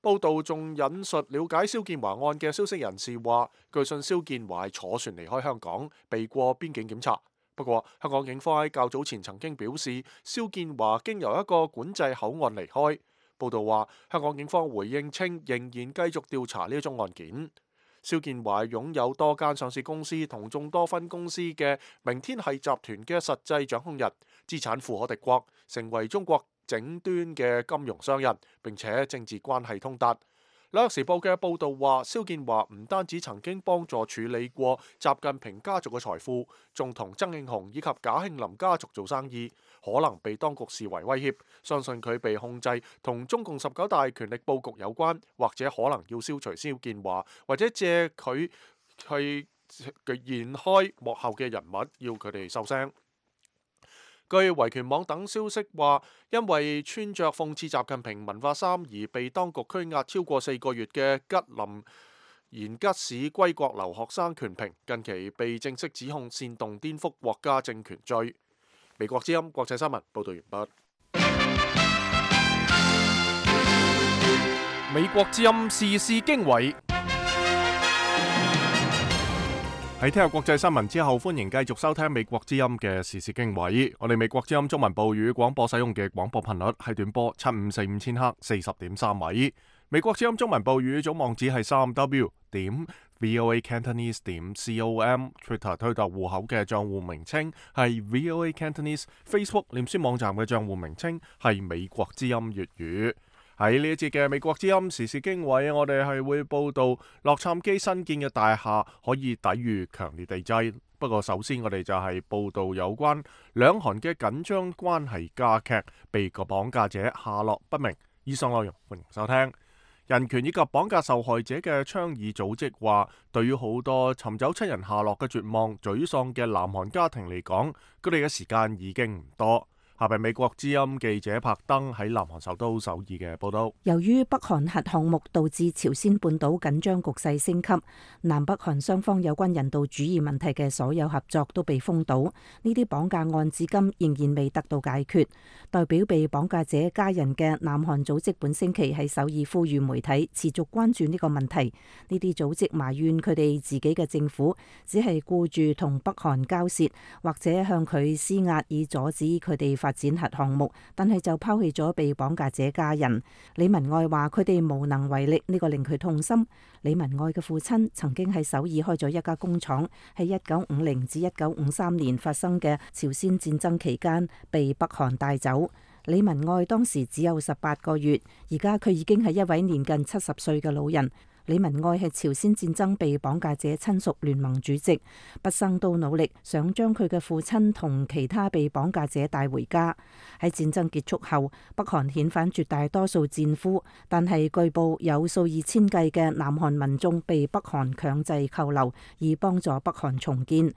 報道仲引述了解蕭建華案嘅消息人士話，據信蕭建華係坐船離開香港，避過邊境檢查。不過，香港警方喺較早前曾經表示，蕭建華經由一個管制口岸離開。報道話，香港警方回應稱，仍然繼續調查呢一宗案件。蕭建華擁有多間上市公司同眾多分公司嘅明天系集團嘅實際掌控人，資產富可敵國，成為中國頂端嘅金融商人，並且政治關係通達。紐約時報嘅報導話，蕭建華唔單止曾經幫助處理過習近平家族嘅財富，仲同曾慶紅以及賈慶林家族做生意，可能被當局視為威脅。相信佢被控制同中共十九大權力佈局有關，或者可能要消除蕭建華，或者借佢去延開幕後嘅人物，要佢哋收聲。據維權網等消息話，因為穿着諷刺習近平文化衫而被當局拘押超過四個月嘅吉林延吉市歸國留學生權平，近期被正式指控煽動顛覆國家政權罪。美國之音國際新聞報道完畢。美國之音時事經緯。喺聽日國際新聞之後，歡迎繼續收聽美國之音嘅時事經緯。我哋美國之音中文部語廣播使用嘅廣播頻率係短波七五四五千赫四十點三米。美國之音中文部語總網址係三 w 點 voa cantonese 點 com。Twitter 推特戶口嘅賬戶名稱係 voa cantonese。Facebook 臉書網站嘅賬戶名稱係美國之音粵語。喺呢一節嘅美國之音時事經緯，我哋係會報道洛杉磯新建嘅大廈可以抵禦強烈地震。不過首先我哋就係報道有關兩韓嘅緊張關係加劇，被個綁架者下落不明。以上內容歡迎收聽。人權以及綁架受害者嘅倡議組織話，對於好多尋找親人下落嘅絕望、沮喪嘅南韓家庭嚟講，佢哋嘅時間已經唔多。下邊美國之音記者柏登喺南韓首都首爾嘅報道。由於北韓核項目導致朝鮮半島緊張局勢升級，南北韓雙方有關人道主義問題嘅所有合作都被封堵。呢啲綁架案至今仍然未得到解決。代表被綁架者家人嘅南韓組織本星期喺首爾呼籲媒體持續關注呢個問題。呢啲組織埋怨佢哋自己嘅政府只係顧住同北韓交涉，或者向佢施壓以阻止佢哋發發展核項目，但係就拋棄咗被綁架者家人。李文愛話佢哋無能為力，呢個令佢痛心。李文愛嘅父親曾經喺首爾開咗一家工廠，喺一九五零至一九五三年發生嘅朝鮮戰爭期間被北韓帶走。李文愛當時只有十八個月，而家佢已經係一位年近七十歲嘅老人。李文愛係朝鮮戰爭被綁架者親屬聯盟主席，畢生都努力想將佢嘅父親同其他被綁架者帶回家。喺戰爭結束後，北韓遣返絕大多數戰俘，但係據報有數以千計嘅南韓民眾被北韓強制扣留，以幫助北韓重建。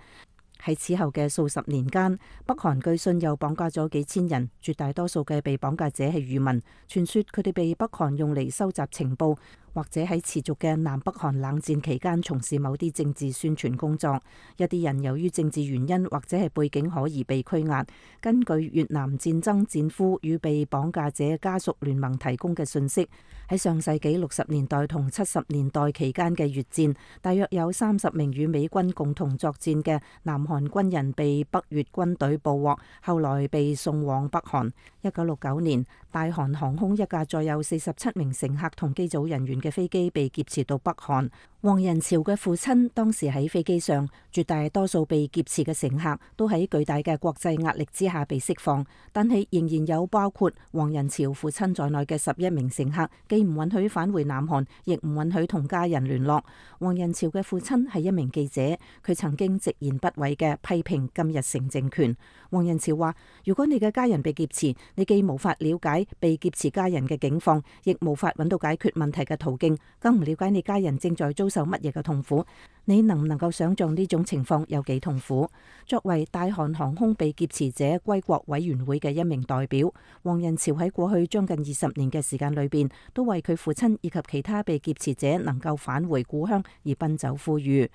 喺此後嘅數十年間，北韓據信又綁架咗幾千人，絕大多數嘅被綁架者係漁民，傳說佢哋被北韓用嚟收集情報，或者喺持續嘅南北韓冷戰期間從事某啲政治宣傳工作。一啲人由於政治原因或者係背景可疑被拘押。根據越南戰爭戰俘與被綁架者家屬聯盟提供嘅信息，喺上世紀六十年代同七十年代期間嘅越戰，大約有三十名與美軍共同作戰嘅南韓軍人被北越軍隊捕獲，後來被送往北韓。一九六九年，大韓航空一架載有四十七名乘客同機組人員嘅飛機被劫持到北韓。黃仁朝嘅父親當時喺飛機上，絕大多數被劫持嘅乘客都喺巨大嘅國際壓力之下被釋放，但係仍然有包括黃仁朝父親在內嘅十一名乘客，既唔允許返回南韓，亦唔允許同家人聯絡。黃仁朝嘅父親係一名記者，佢曾經直言不諱嘅批評金日成政權。黃仁朝話：如果你嘅家人被劫持，你既無法了解被劫持家人嘅境況，亦無法揾到解決問題嘅途徑，更唔了解你家人正在遭受乜嘢嘅痛苦。你能唔能夠想象呢種情況有幾痛苦？作為大韓航空被劫持者歸國委員會嘅一名代表，黃仁朝喺過去將近二十年嘅時間裏邊，都為佢父親以及其他被劫持者能夠返回故鄉而奔走呼籲。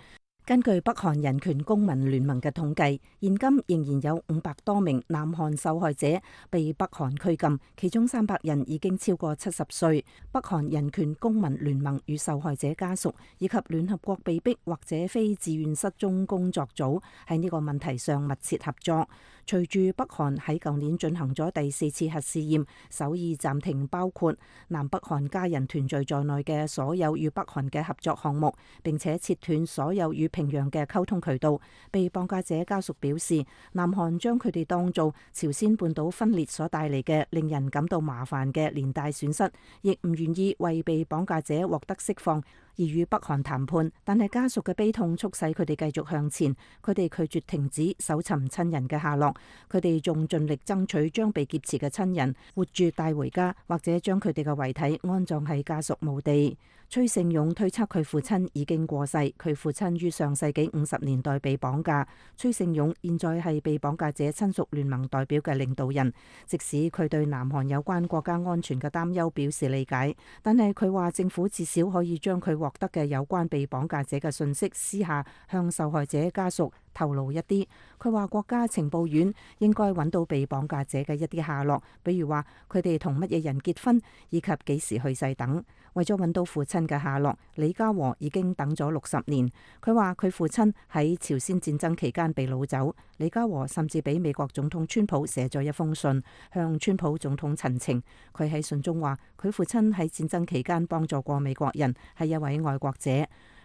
根據北韓人權公民聯盟嘅統計，現今仍然有五百多名南韓受害者被北韓拘禁，其中三百人已經超過七十歲。北韓人權公民聯盟與受害者家屬以及聯合國被逼或者非自願失蹤工作組喺呢個問題上密切合作。隨住北韓喺舊年進行咗第四次核試驗，首爾暫停包括南北韓家人團聚在內嘅所有與北韓嘅合作項目，並且切斷所有與平壤嘅溝通渠道。被綁架者家屬表示，南韓將佢哋當做朝鮮半島分裂所帶嚟嘅令人感到麻煩嘅連帶損失，亦唔願意為被綁架者獲得釋放而與北韓談判。但係家屬嘅悲痛促使佢哋繼續向前，佢哋拒絕停止搜尋親人嘅下落，佢哋仲盡力爭取將被劫持嘅親人活住帶回家，或者將佢哋嘅遺體安葬喺家屬墓地。崔勝勇推測佢父親已經過世，佢父親於上世紀五十年代被綁架。崔勝勇現在係被綁架者親屬聯盟代表嘅領導人，即使佢對南韓有關國家安全嘅擔憂表示理解，但係佢話政府至少可以將佢獲得嘅有關被綁架者嘅信息私下向受害者家屬透露一啲。佢話國家情報院應該揾到被綁架者嘅一啲下落，比如話佢哋同乜嘢人結婚，以及幾時去世等。為咗揾到父親嘅下落，李家和已經等咗六十年。佢話佢父親喺朝鮮戰爭期間被擄走。李家和甚至俾美國總統川普寫咗一封信，向川普總統陳情。佢喺信中話佢父親喺戰爭期間幫助過美國人，係一位愛國者。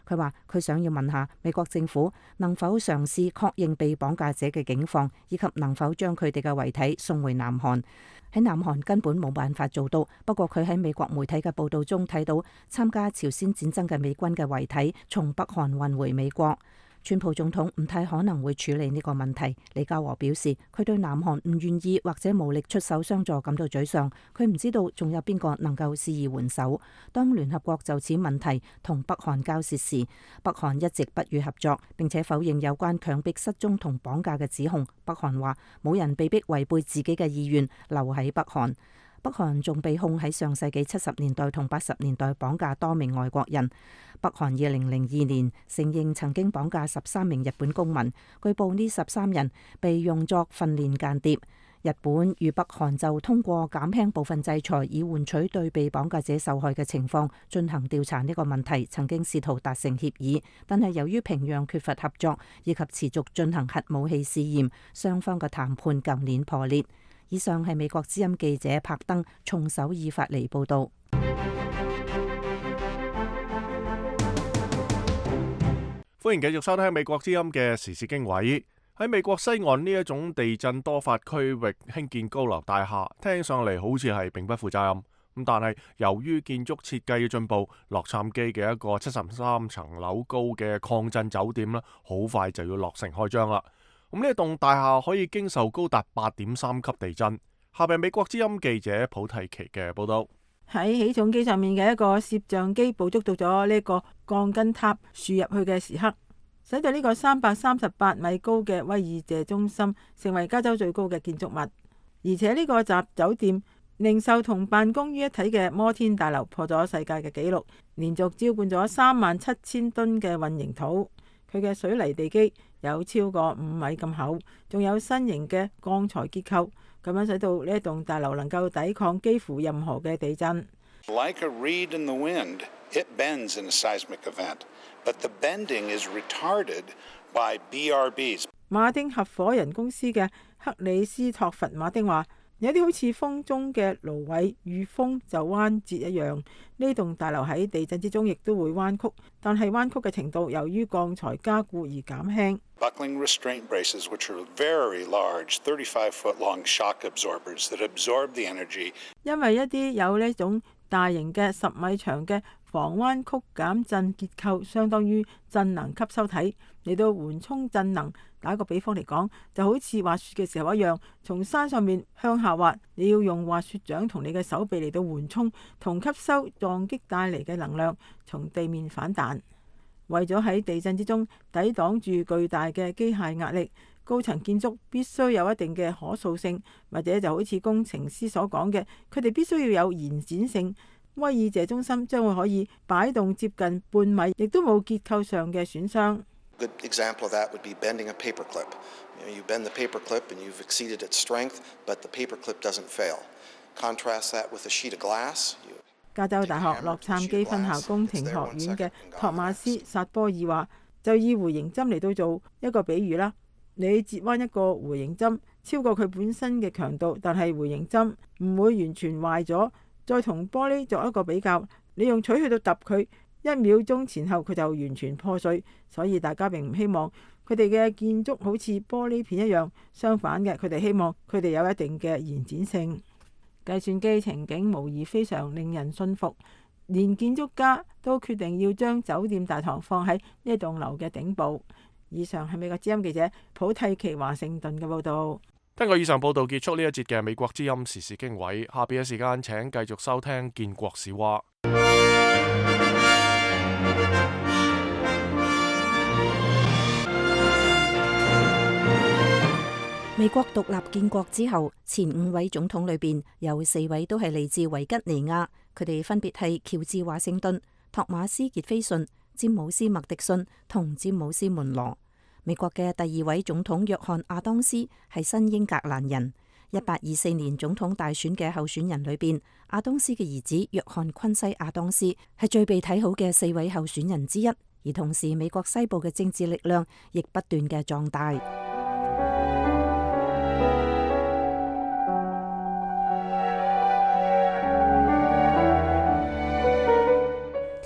佢話佢想要問下美國政府能否嘗試確認被綁架者嘅境況，以及能否將佢哋嘅遺體送回南韓。喺南韓根本冇辦法做到，不過佢喺美國媒體嘅報道中睇到參加朝鮮戰爭嘅美軍嘅遺體從北韓運回美國。川普總統唔太可能會處理呢個問題。李家和表示，佢對南韓唔願意或者無力出手相助感到沮喪。佢唔知道仲有邊個能夠施以援手。當聯合國就此問題同北韓交涉時，北韓一直不予合作，並且否認有關強迫失蹤同綁架嘅指控。北韓話冇人被逼違背自己嘅意願留喺北韓。北韓仲被控喺上世紀七十年代同八十年代綁架多名外國人。北韓二零零二年承認曾經綁架十三名日本公民，據報呢十三人被用作訓練間諜。日本與北韓就通過減輕部分制裁以換取對被綁架者受害嘅情況進行調查呢個問題，曾經試圖達成協議，但係由於平壤缺乏合作以及持續進行核武器試驗，雙方嘅談判舊年破裂。以上係美國之音記者柏登從首爾發嚟報道。歡迎繼續收聽美國之音嘅時事經緯。喺美國西岸呢一種地震多發區域興建高樓大廈，聽上嚟好似係並不負責任。咁但係由於建築設計嘅進步，洛杉磯嘅一個七十三層樓高嘅抗震酒店呢，好快就要落成開張啦。咁呢一棟大廈可以經受高達八點三級地震。下邊美國之音記者普蒂奇嘅報道。喺起重機上面嘅一個攝像機捕捉到咗呢個鋼筋塔豎入去嘅時刻，使到呢個三百三十八米高嘅威爾謝中心成為加州最高嘅建築物。而且呢個集酒店、零售同辦公於一體嘅摩天大樓破咗世界嘅紀錄，連續澆灌咗三萬七千噸嘅混凝土。佢嘅水泥地基有超過五米咁厚，仲有新型嘅鋼材結構，咁樣使到呢一棟大樓能夠抵抗幾乎任何嘅地震。Like a reed in the wind, it bends in a seismic event, but the bending is retarded by B R Bs. 馬丁合夥人公司嘅克里斯托弗馬丁話：有啲好似風中嘅蘆葦遇風就彎折一樣，呢棟大樓喺地震之中亦都會彎曲，但係彎曲嘅程度由於鋼材加固而減輕。Buckling restraint braces, which are very large, thirty-five foot long shock absorbers that absorb the energy. 因為一啲有呢種大型嘅十米長嘅防彎曲減震結構，相當於震能吸收體嚟到緩衝震能。打個比方嚟講，就好似滑雪嘅時候一樣，從山上面向下滑，你要用滑雪杖同你嘅手臂嚟到緩衝同吸收撞擊帶嚟嘅能量，從地面反彈。為咗喺地震之中抵擋住巨大嘅機械壓力，高層建築必須有一定嘅可塑性，或者就好似工程師所講嘅，佢哋必須要有延展性。威爾謝中心將會可以擺動接近半米，亦都冇結構上嘅損傷。Good example of that would be bending a paper clip. You know, you bend the paper clip and you've exceeded its strength, but the paper clip doesn't fail. Contrast that with a sheet of glass. 加州大學洛杉磯分校工程學院嘅托馬斯薩波爾話，就以回形針嚟到做一個比喻啦。你折彎一個回形針，超過佢本身嘅強度，但係回形針唔會完全壞咗。再同玻璃作一個比較，你用錘去到揼佢，一秒鐘前後佢就完全破碎，所以大家並唔希望佢哋嘅建築好似玻璃片一樣，相反嘅，佢哋希望佢哋有一定嘅延展性。計算機情景無疑非常令人信服，連建築家都決定要將酒店大堂放喺呢棟樓嘅頂部。以上係美國之音記者普蒂奇華盛頓嘅報導。根據以上報導結束呢一節嘅美國之音時事經緯，下邊嘅時間請繼續收聽建國史話。美國獨立建國之後，前五位總統裏邊有四位都係嚟自維吉尼亞，佢哋分別係喬治華盛頓、托馬斯傑菲遜、詹姆斯麥迪遜同詹姆斯門羅。美國嘅第二位總統約翰亞當斯係新英格蘭人。一八二四年總統大選嘅候選人裏邊，亞當斯嘅兒子約翰昆西亞當斯係最被睇好嘅四位候選人之一。而同時，美國西部嘅政治力量亦不斷嘅壯大。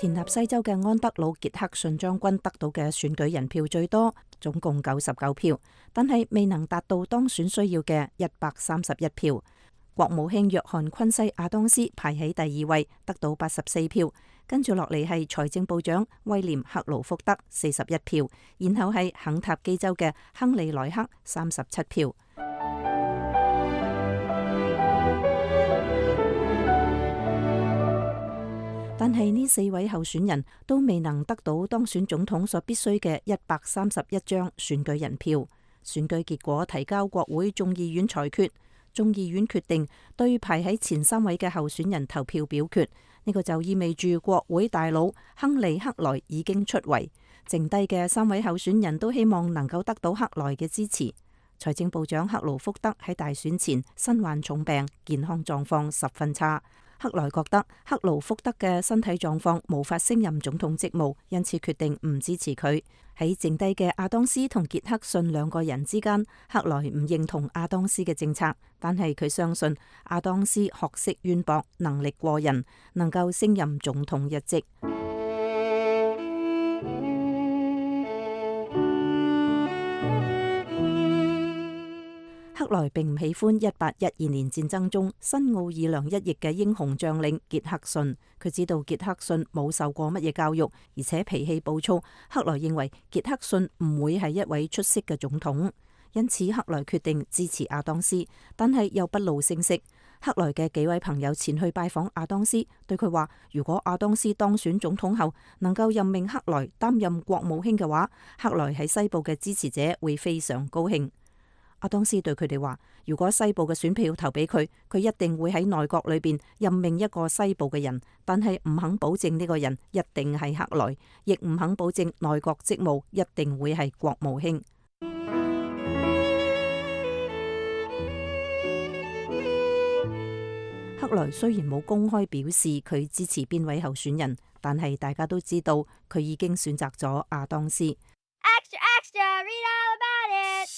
田納西州嘅安德魯傑克遜將軍得到嘅選舉人票最多，總共九十九票，但係未能達到當選需要嘅一百三十一票。國務卿約翰昆西亞當斯排喺第二位，得到八十四票，跟住落嚟係財政部長威廉克勞福德四十一票，然後係肯塔基州嘅亨利萊克三十七票。但係呢四位候選人都未能得到當選總統所必須嘅一百三十一張選舉人票。選舉結果提交國會眾議院裁決，眾議院決定對排喺前三位嘅候選人投票表決。呢個就意味住國會大佬亨利克萊已經出圍，剩低嘅三位候選人都希望能夠得到克萊嘅支持。財政部長克勞福德喺大選前身患重病，健康狀況十分差。克萊覺得克勞福德嘅身體狀況無法升任總統職務，因此決定唔支持佢。喺剩低嘅亞當斯同傑克遜兩個人之間，克萊唔認同亞當斯嘅政策，但係佢相信亞當斯學識淵博，能力過人，能夠升任總統一職。克萊並唔喜歡一八一二年戰爭中新奧爾良一役嘅英雄將領傑克遜，佢知道傑克遜冇受過乜嘢教育，而且脾氣暴躁。克萊認為傑克遜唔會係一位出色嘅總統，因此克萊決定支持亞當斯，但係又不露聲色。克萊嘅幾位朋友前去拜訪亞當斯，對佢話：如果亞當斯當選總統後能夠任命克萊擔任國務卿嘅話，克萊喺西部嘅支持者會非常高興。亞當斯對佢哋話：如果西部嘅選票投俾佢，佢一定會喺內閣裏邊任命一個西部嘅人，但係唔肯保證呢個人一定係克萊，亦唔肯保證內閣職務一定會係國務卿。克萊雖然冇公開表示佢支持邊位候選人，但係大家都知道佢已經選擇咗亞當斯。Extra, extra, read all about it.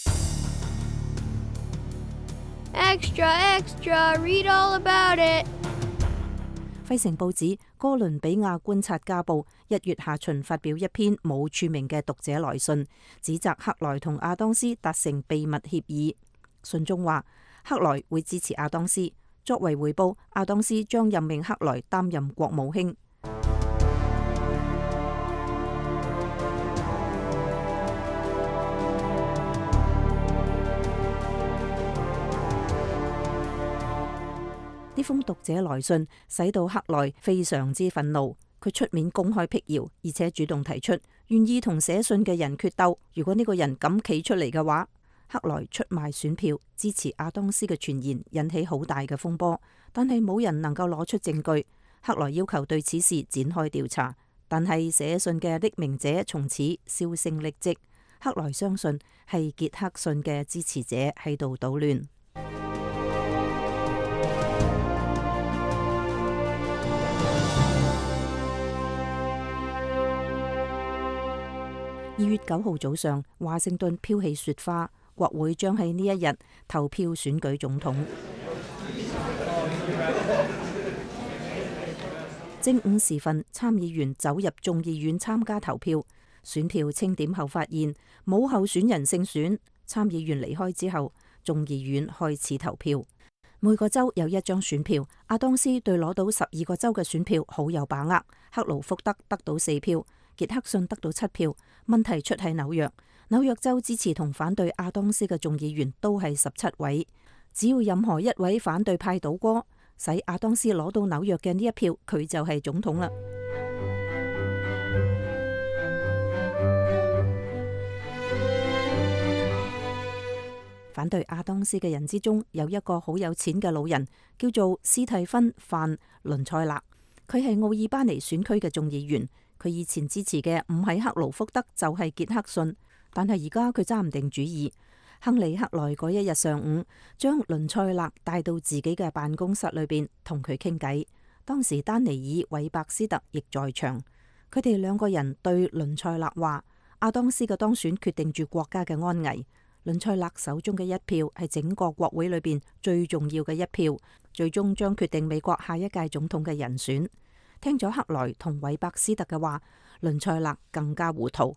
Extra, extra, read all about it. 費城報紙哥倫比亞觀察家報一月下旬發表一篇冇署名嘅讀者來信，指責克萊同亞當斯達成秘密協議。信中話，克萊會支持亞當斯，作為回報，亞當斯將任命克萊擔任國務卿。呢封讀者來信使到克萊非常之憤怒，佢出面公開闢謠，而且主動提出願意同寫信嘅人決鬥。如果呢個人敢企出嚟嘅話，克萊出賣選票支持亞當斯嘅傳言引起好大嘅風波，但係冇人能夠攞出證據。克萊要求對此事展開調查，但係寫信嘅匿名者從此銷聲匿跡。克萊相信係傑克遜嘅支持者喺度搗亂。二月九號早上，華盛頓飄起雪花，國會將喺呢一日投票選舉總統。正午時分，參議員走入眾議院參加投票，選票清點後發現冇候選人勝選。參議員離開之後，眾議院開始投票。每個州有一張選票，阿當斯對攞到十二個州嘅選票好有把握。克勞福德得到四票，傑克遜得到七票。問題出喺紐約，紐約州支持同反對阿當斯嘅眾議員都係十七位，只要任何一位反對派倒戈，使阿當斯攞到紐約嘅呢一票，佢就係總統啦。反對阿當斯嘅人之中，有一個好有錢嘅老人，叫做斯蒂芬范倫塞勒。佢係奧爾巴尼選區嘅眾議員。佢以前支持嘅唔係克勞福德，就係傑克遜，但係而家佢揸唔定主意。亨利克萊嗰一日上午，將倫塞勒帶到自己嘅辦公室裏邊同佢傾偈。當時丹尼爾韋伯斯特亦在場。佢哋兩個人對倫塞勒話：阿當斯嘅當選決定住國家嘅安危。倫塞勒手中嘅一票係整個國會裏邊最重要嘅一票，最終將決定美國下一屆總統嘅人選。聽咗克萊同韋伯斯特嘅話，倫塞勒更加糊塗。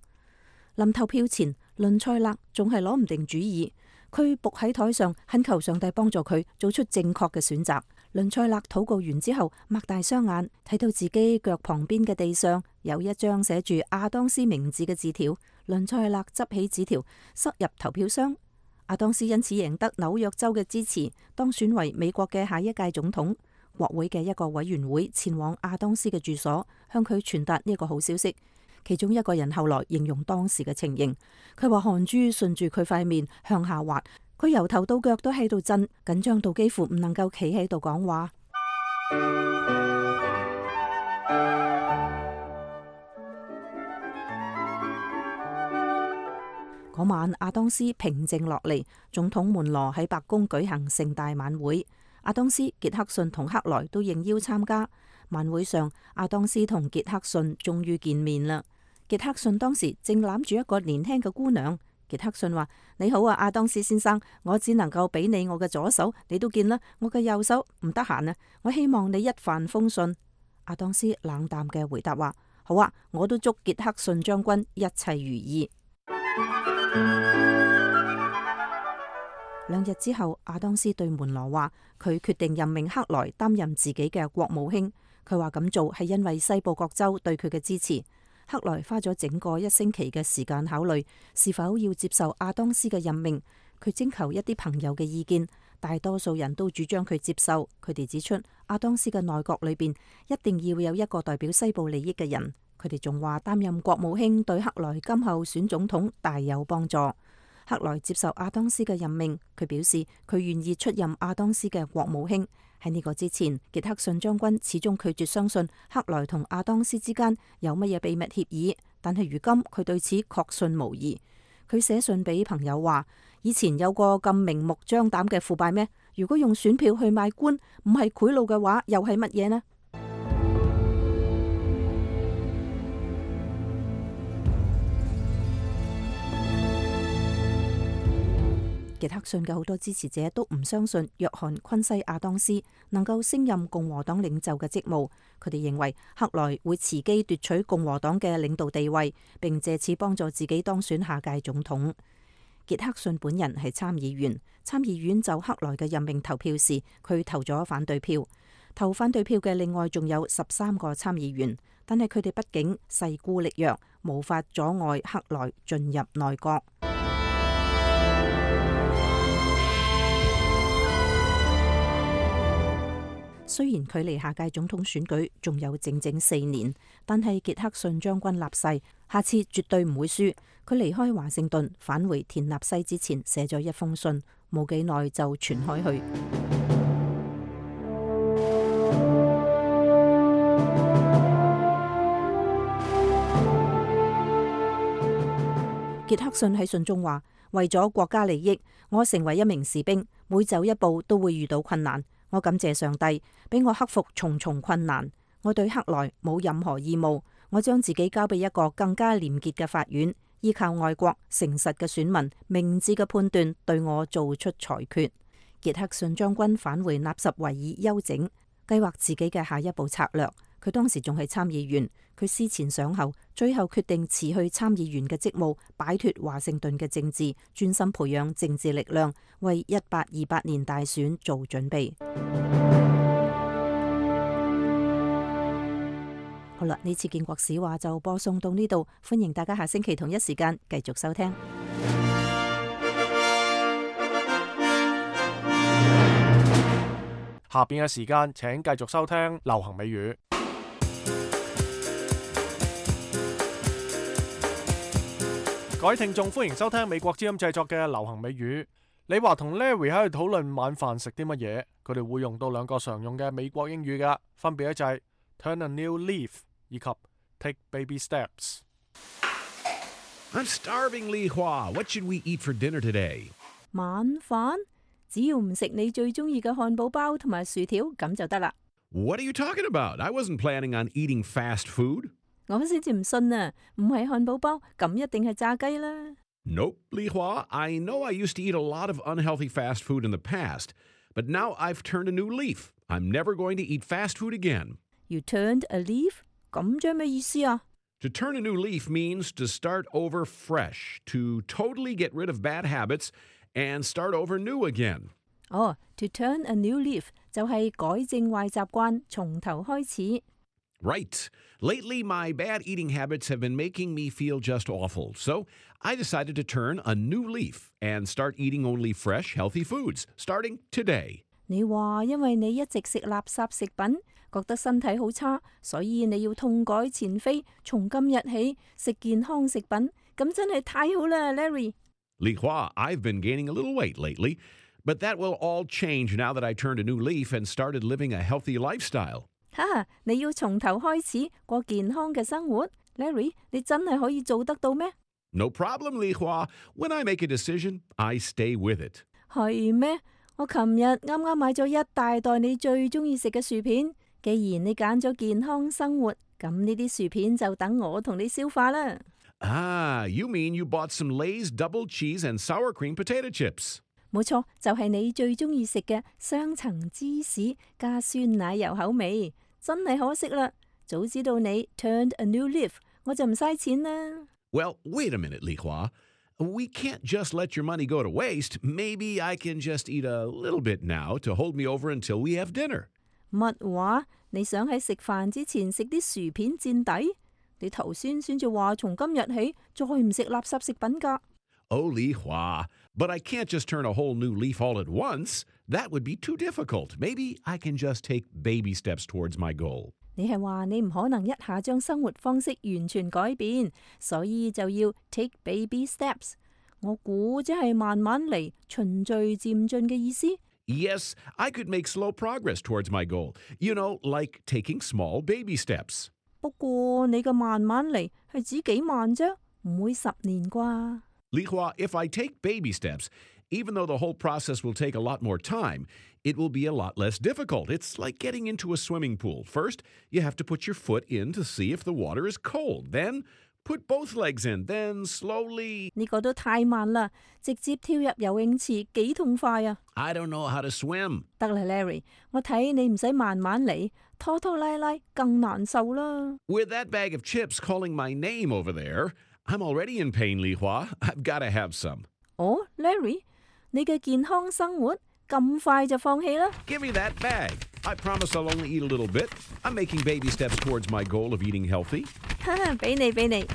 臨投票前，倫塞勒仲係攞唔定主意，佢伏喺台上懇求上帝幫助佢做出正確嘅選擇。倫塞勒禱告完之後，擘大雙眼睇到自己腳旁邊嘅地上有一張寫住阿當斯名字嘅字條。倫塞勒執起紙條塞入投票箱。阿當斯因此贏得紐約州嘅支持，當選為美國嘅下一屆總統。國會嘅一個委員會前往阿當斯嘅住所，向佢傳達呢個好消息。其中一個人後來形容當時嘅情形，佢話汗珠順住佢塊面向下滑，佢由頭到腳都喺度震，緊張到幾乎唔能夠企喺度講話。嗰晚阿當斯平靜落嚟，總統門羅喺白宮舉行盛大晚會，阿當斯、傑克遜同克萊都應邀參加。晚會上，阿當斯同傑克遜終於見面啦。傑克遜當時正攬住一個年輕嘅姑娘。傑克遜話：你好啊，阿當斯先生，我只能夠俾你我嘅左手，你都見啦，我嘅右手唔得閒啊，我希望你一帆風順。阿當斯冷淡嘅回答話：好啊，我都祝傑克遜將軍一切如意。兩日之後，阿當斯對門羅話：佢決定任命克萊擔任自己嘅國務卿。佢話咁做係因為西部各州對佢嘅支持。克萊花咗整個一星期嘅時間考慮是否要接受阿當斯嘅任命。佢徵求一啲朋友嘅意見，大多數人都主張佢接受。佢哋指出，阿當斯嘅內閣裏邊一定要有一個代表西部利益嘅人。佢哋仲話擔任國務卿對克萊今後選總統大有幫助。克萊接受阿當斯嘅任命，佢表示佢願意出任阿當斯嘅國務卿。喺呢個之前，傑克遜將軍始終拒絕相信克萊同阿當斯之間有乜嘢秘密協議，但係如今佢對此確信無疑。佢寫信俾朋友話：以前有個咁明目張膽嘅腐敗咩？如果用選票去買官，唔係賄賂嘅話，又係乜嘢呢？傑克遜嘅好多支持者都唔相信約翰昆西亞當斯能夠升任共和黨領袖嘅職務。佢哋認為克萊會伺機奪取共和黨嘅領導地位，並借此幫助自己當選下屆總統。傑克遜本人係參議員，參議院就克萊嘅任命投票時，佢投咗反對票。投反對票嘅另外仲有十三個參議員，但係佢哋畢竟勢孤力弱，無法阻礙克萊進入內閣。雖然距離下屆總統選舉仲有整整四年，但係傑克遜將軍立誓，下次絕對唔會輸。佢離開華盛頓返回田納西之前，寫咗一封信，冇幾耐就傳開去。傑克遜喺信中話：為咗國家利益，我成為一名士兵，每走一步都會遇到困難。我感謝上帝俾我克服重重困難。我對克萊冇任何義務，我將自己交俾一個更加廉潔嘅法院，依靠外國誠實嘅選民明智嘅判斷對我做出裁決。傑克遜將軍返回納什維爾休整，計劃自己嘅下一步策略。佢當時仲係參議員，佢思前想後，最後決定辭去參議員嘅職務，擺脫華盛頓嘅政治，專心培養政治力量，為一八二八年大選做準備。好啦，呢次建國史話就播送到呢度，歡迎大家下星期同一時間繼續收聽。下邊嘅時間請繼續收聽流行美語。各位聽眾，歡迎收聽美國之音製作嘅流行美語。你話同 Larry 喺度討論晚飯食啲乜嘢，佢哋會用到兩個常用嘅美國英語噶，分別咧就係 turn a new leaf 以及 take baby steps。 I'm starving, Li Hua. What should we eat for dinner today? 晚飯只要唔食你最中意嘅漢堡包同埋薯條咁就得啦。What are you talking about? I wasn't planning on eating fast food. 我先至唔信啊！唔係漢堡包，咁一定係炸雞啦。Nope, Li Hua. I know I used to eat a lot of unhealthy fast food in the past, but now I've turned a new leaf. I'm never going to eat fast food again. You turned a leaf? 咁即係咩意思啊？ To turn a new leaf means to start over fresh, to totally get rid of bad habits and start over new again. 哦、oh, to turn a new leaf 就係改正壞習慣，從頭開始。Right. Lately, my bad eating habits have been making me feel just awful. So I decided to turn a new leaf and start eating only fresh, healthy foods, starting today. 你話因為你一直食垃圾食品，覺得身體好差，所以你要痛改前非，從今日起食健康食品，咁真係太好啦 ，Larry。Li Hua, I've been gaining a little weight lately, but that will all change now that I turned a new leaf and started living a healthy lifestyle. 哈！你要從頭開始過健康嘅生活 ，Larry， 你真係可以做得到咩？ No problem, Li Hua. When I make a decision, I stay with it. 係咩？我琴日啱啱買咗一大袋你最中意食嘅薯片。既然你揀咗健康生活，咁呢啲薯片就等我同你消化啦。Ah, you mean you bought some Lay's double cheese and sour cream potato chips? 冇錯，就係你最中意食嘅雙層芝士加酸奶油口味。真係可惜啦，早知道你 turned a new leaf， 我就唔嘥錢啦。Well, wait a minute, Li Hua. We can't just let your money go to waste. Maybe I can just eat a little bit now to hold me over until we have dinner. 乜話？你想喺食飯之前食啲薯片墊底？你頭先先至話從今日起再唔食垃圾食品㗎。Oh, Li Hua, but I can't just turn a whole new leaf all at once. That would be too difficult. Maybe I can just take baby steps towards my goal. 你係話你唔可能一下將生活方式完全改變，所以就要 take baby steps。我估即係慢慢嚟，循序漸進嘅意思。Yes, I could make slow progress towards my goal. You know, like taking small baby steps. 不過你嘅慢慢嚟係指幾慢啫，唔會十年啩。Li Hua, if I take baby steps, even though the whole process will take a lot more time, it will be a lot less difficult. It's like getting into a swimming pool. First, you have to put your foot in to see if the water is cold. Then, put both legs in. Then, slowly... 呢個都太慢啦，直接跳入游泳池幾痛快啊 I don't know how to swim. 得啦 Larry， 我睇你唔使慢慢嚟，拖拖拉拉更難受啦。With that bag of chips calling my name over there, I'm already in pain, Li Hua. I've got to have some. 哦 Larry， 你嘅健康生活咁快就放棄啦 Give me that bag. I promise I'll only eat a little bit. I'm making baby steps towards my goal of eating healthy. 俾你俾你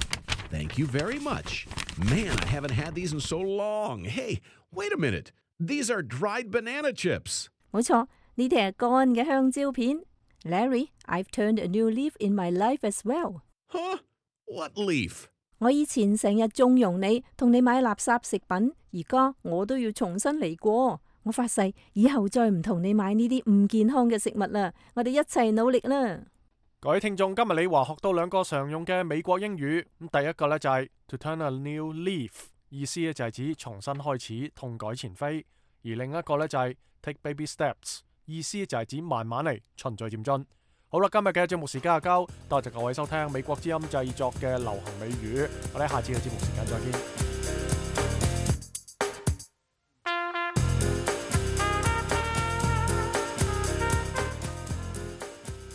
Thank you very much. Man, I haven't had these in so long. Hey, wait a minute. These are dried banana chips. 冇錯，呢啲係乾嘅香蕉片。Larry, I've turned a new leaf in my life as well. Huh? What leaf? 我以前成日縱容你，同你買垃圾食品，而家我都要重新嚟過。我發誓，以後再唔同你買呢啲唔健康嘅食物啦。我哋一齊努力啦！各位聽眾，今日李華學到兩個常用嘅美國英語。咁第一個呢就係 to turn a new leaf， 意思呢就係指重新開始，痛改前非；而另一個呢就係 take baby steps， 意思就係指慢慢嚟，循序漸進。好啦，今日嘅節目時間就交，多謝各位收聽美國之音製作嘅流行美語，我哋下次嘅節目時間再見。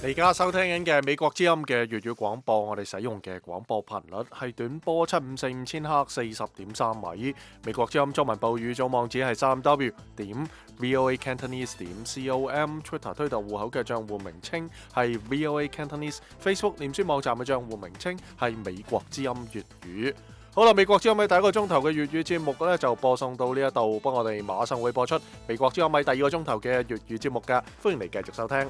你而家收聽緊嘅美國之音嘅粵語廣播，我哋使用嘅廣播頻率係短波七五四五千赫四十點三米。美國之音中文部語組網址係三 w 點 voa cantonese 點 com，Twitter 推特戶口嘅賬戶名稱係 voa cantonese，Facebook 臉書網站嘅賬戶名稱係美國之音粵語。好啦，美國之音喺第一個鐘頭嘅粵語節目咧就播送到呢一度，不過我哋馬上會播出美國之音喺第二個鐘頭嘅粵語節目㗎，歡迎你繼續收聽。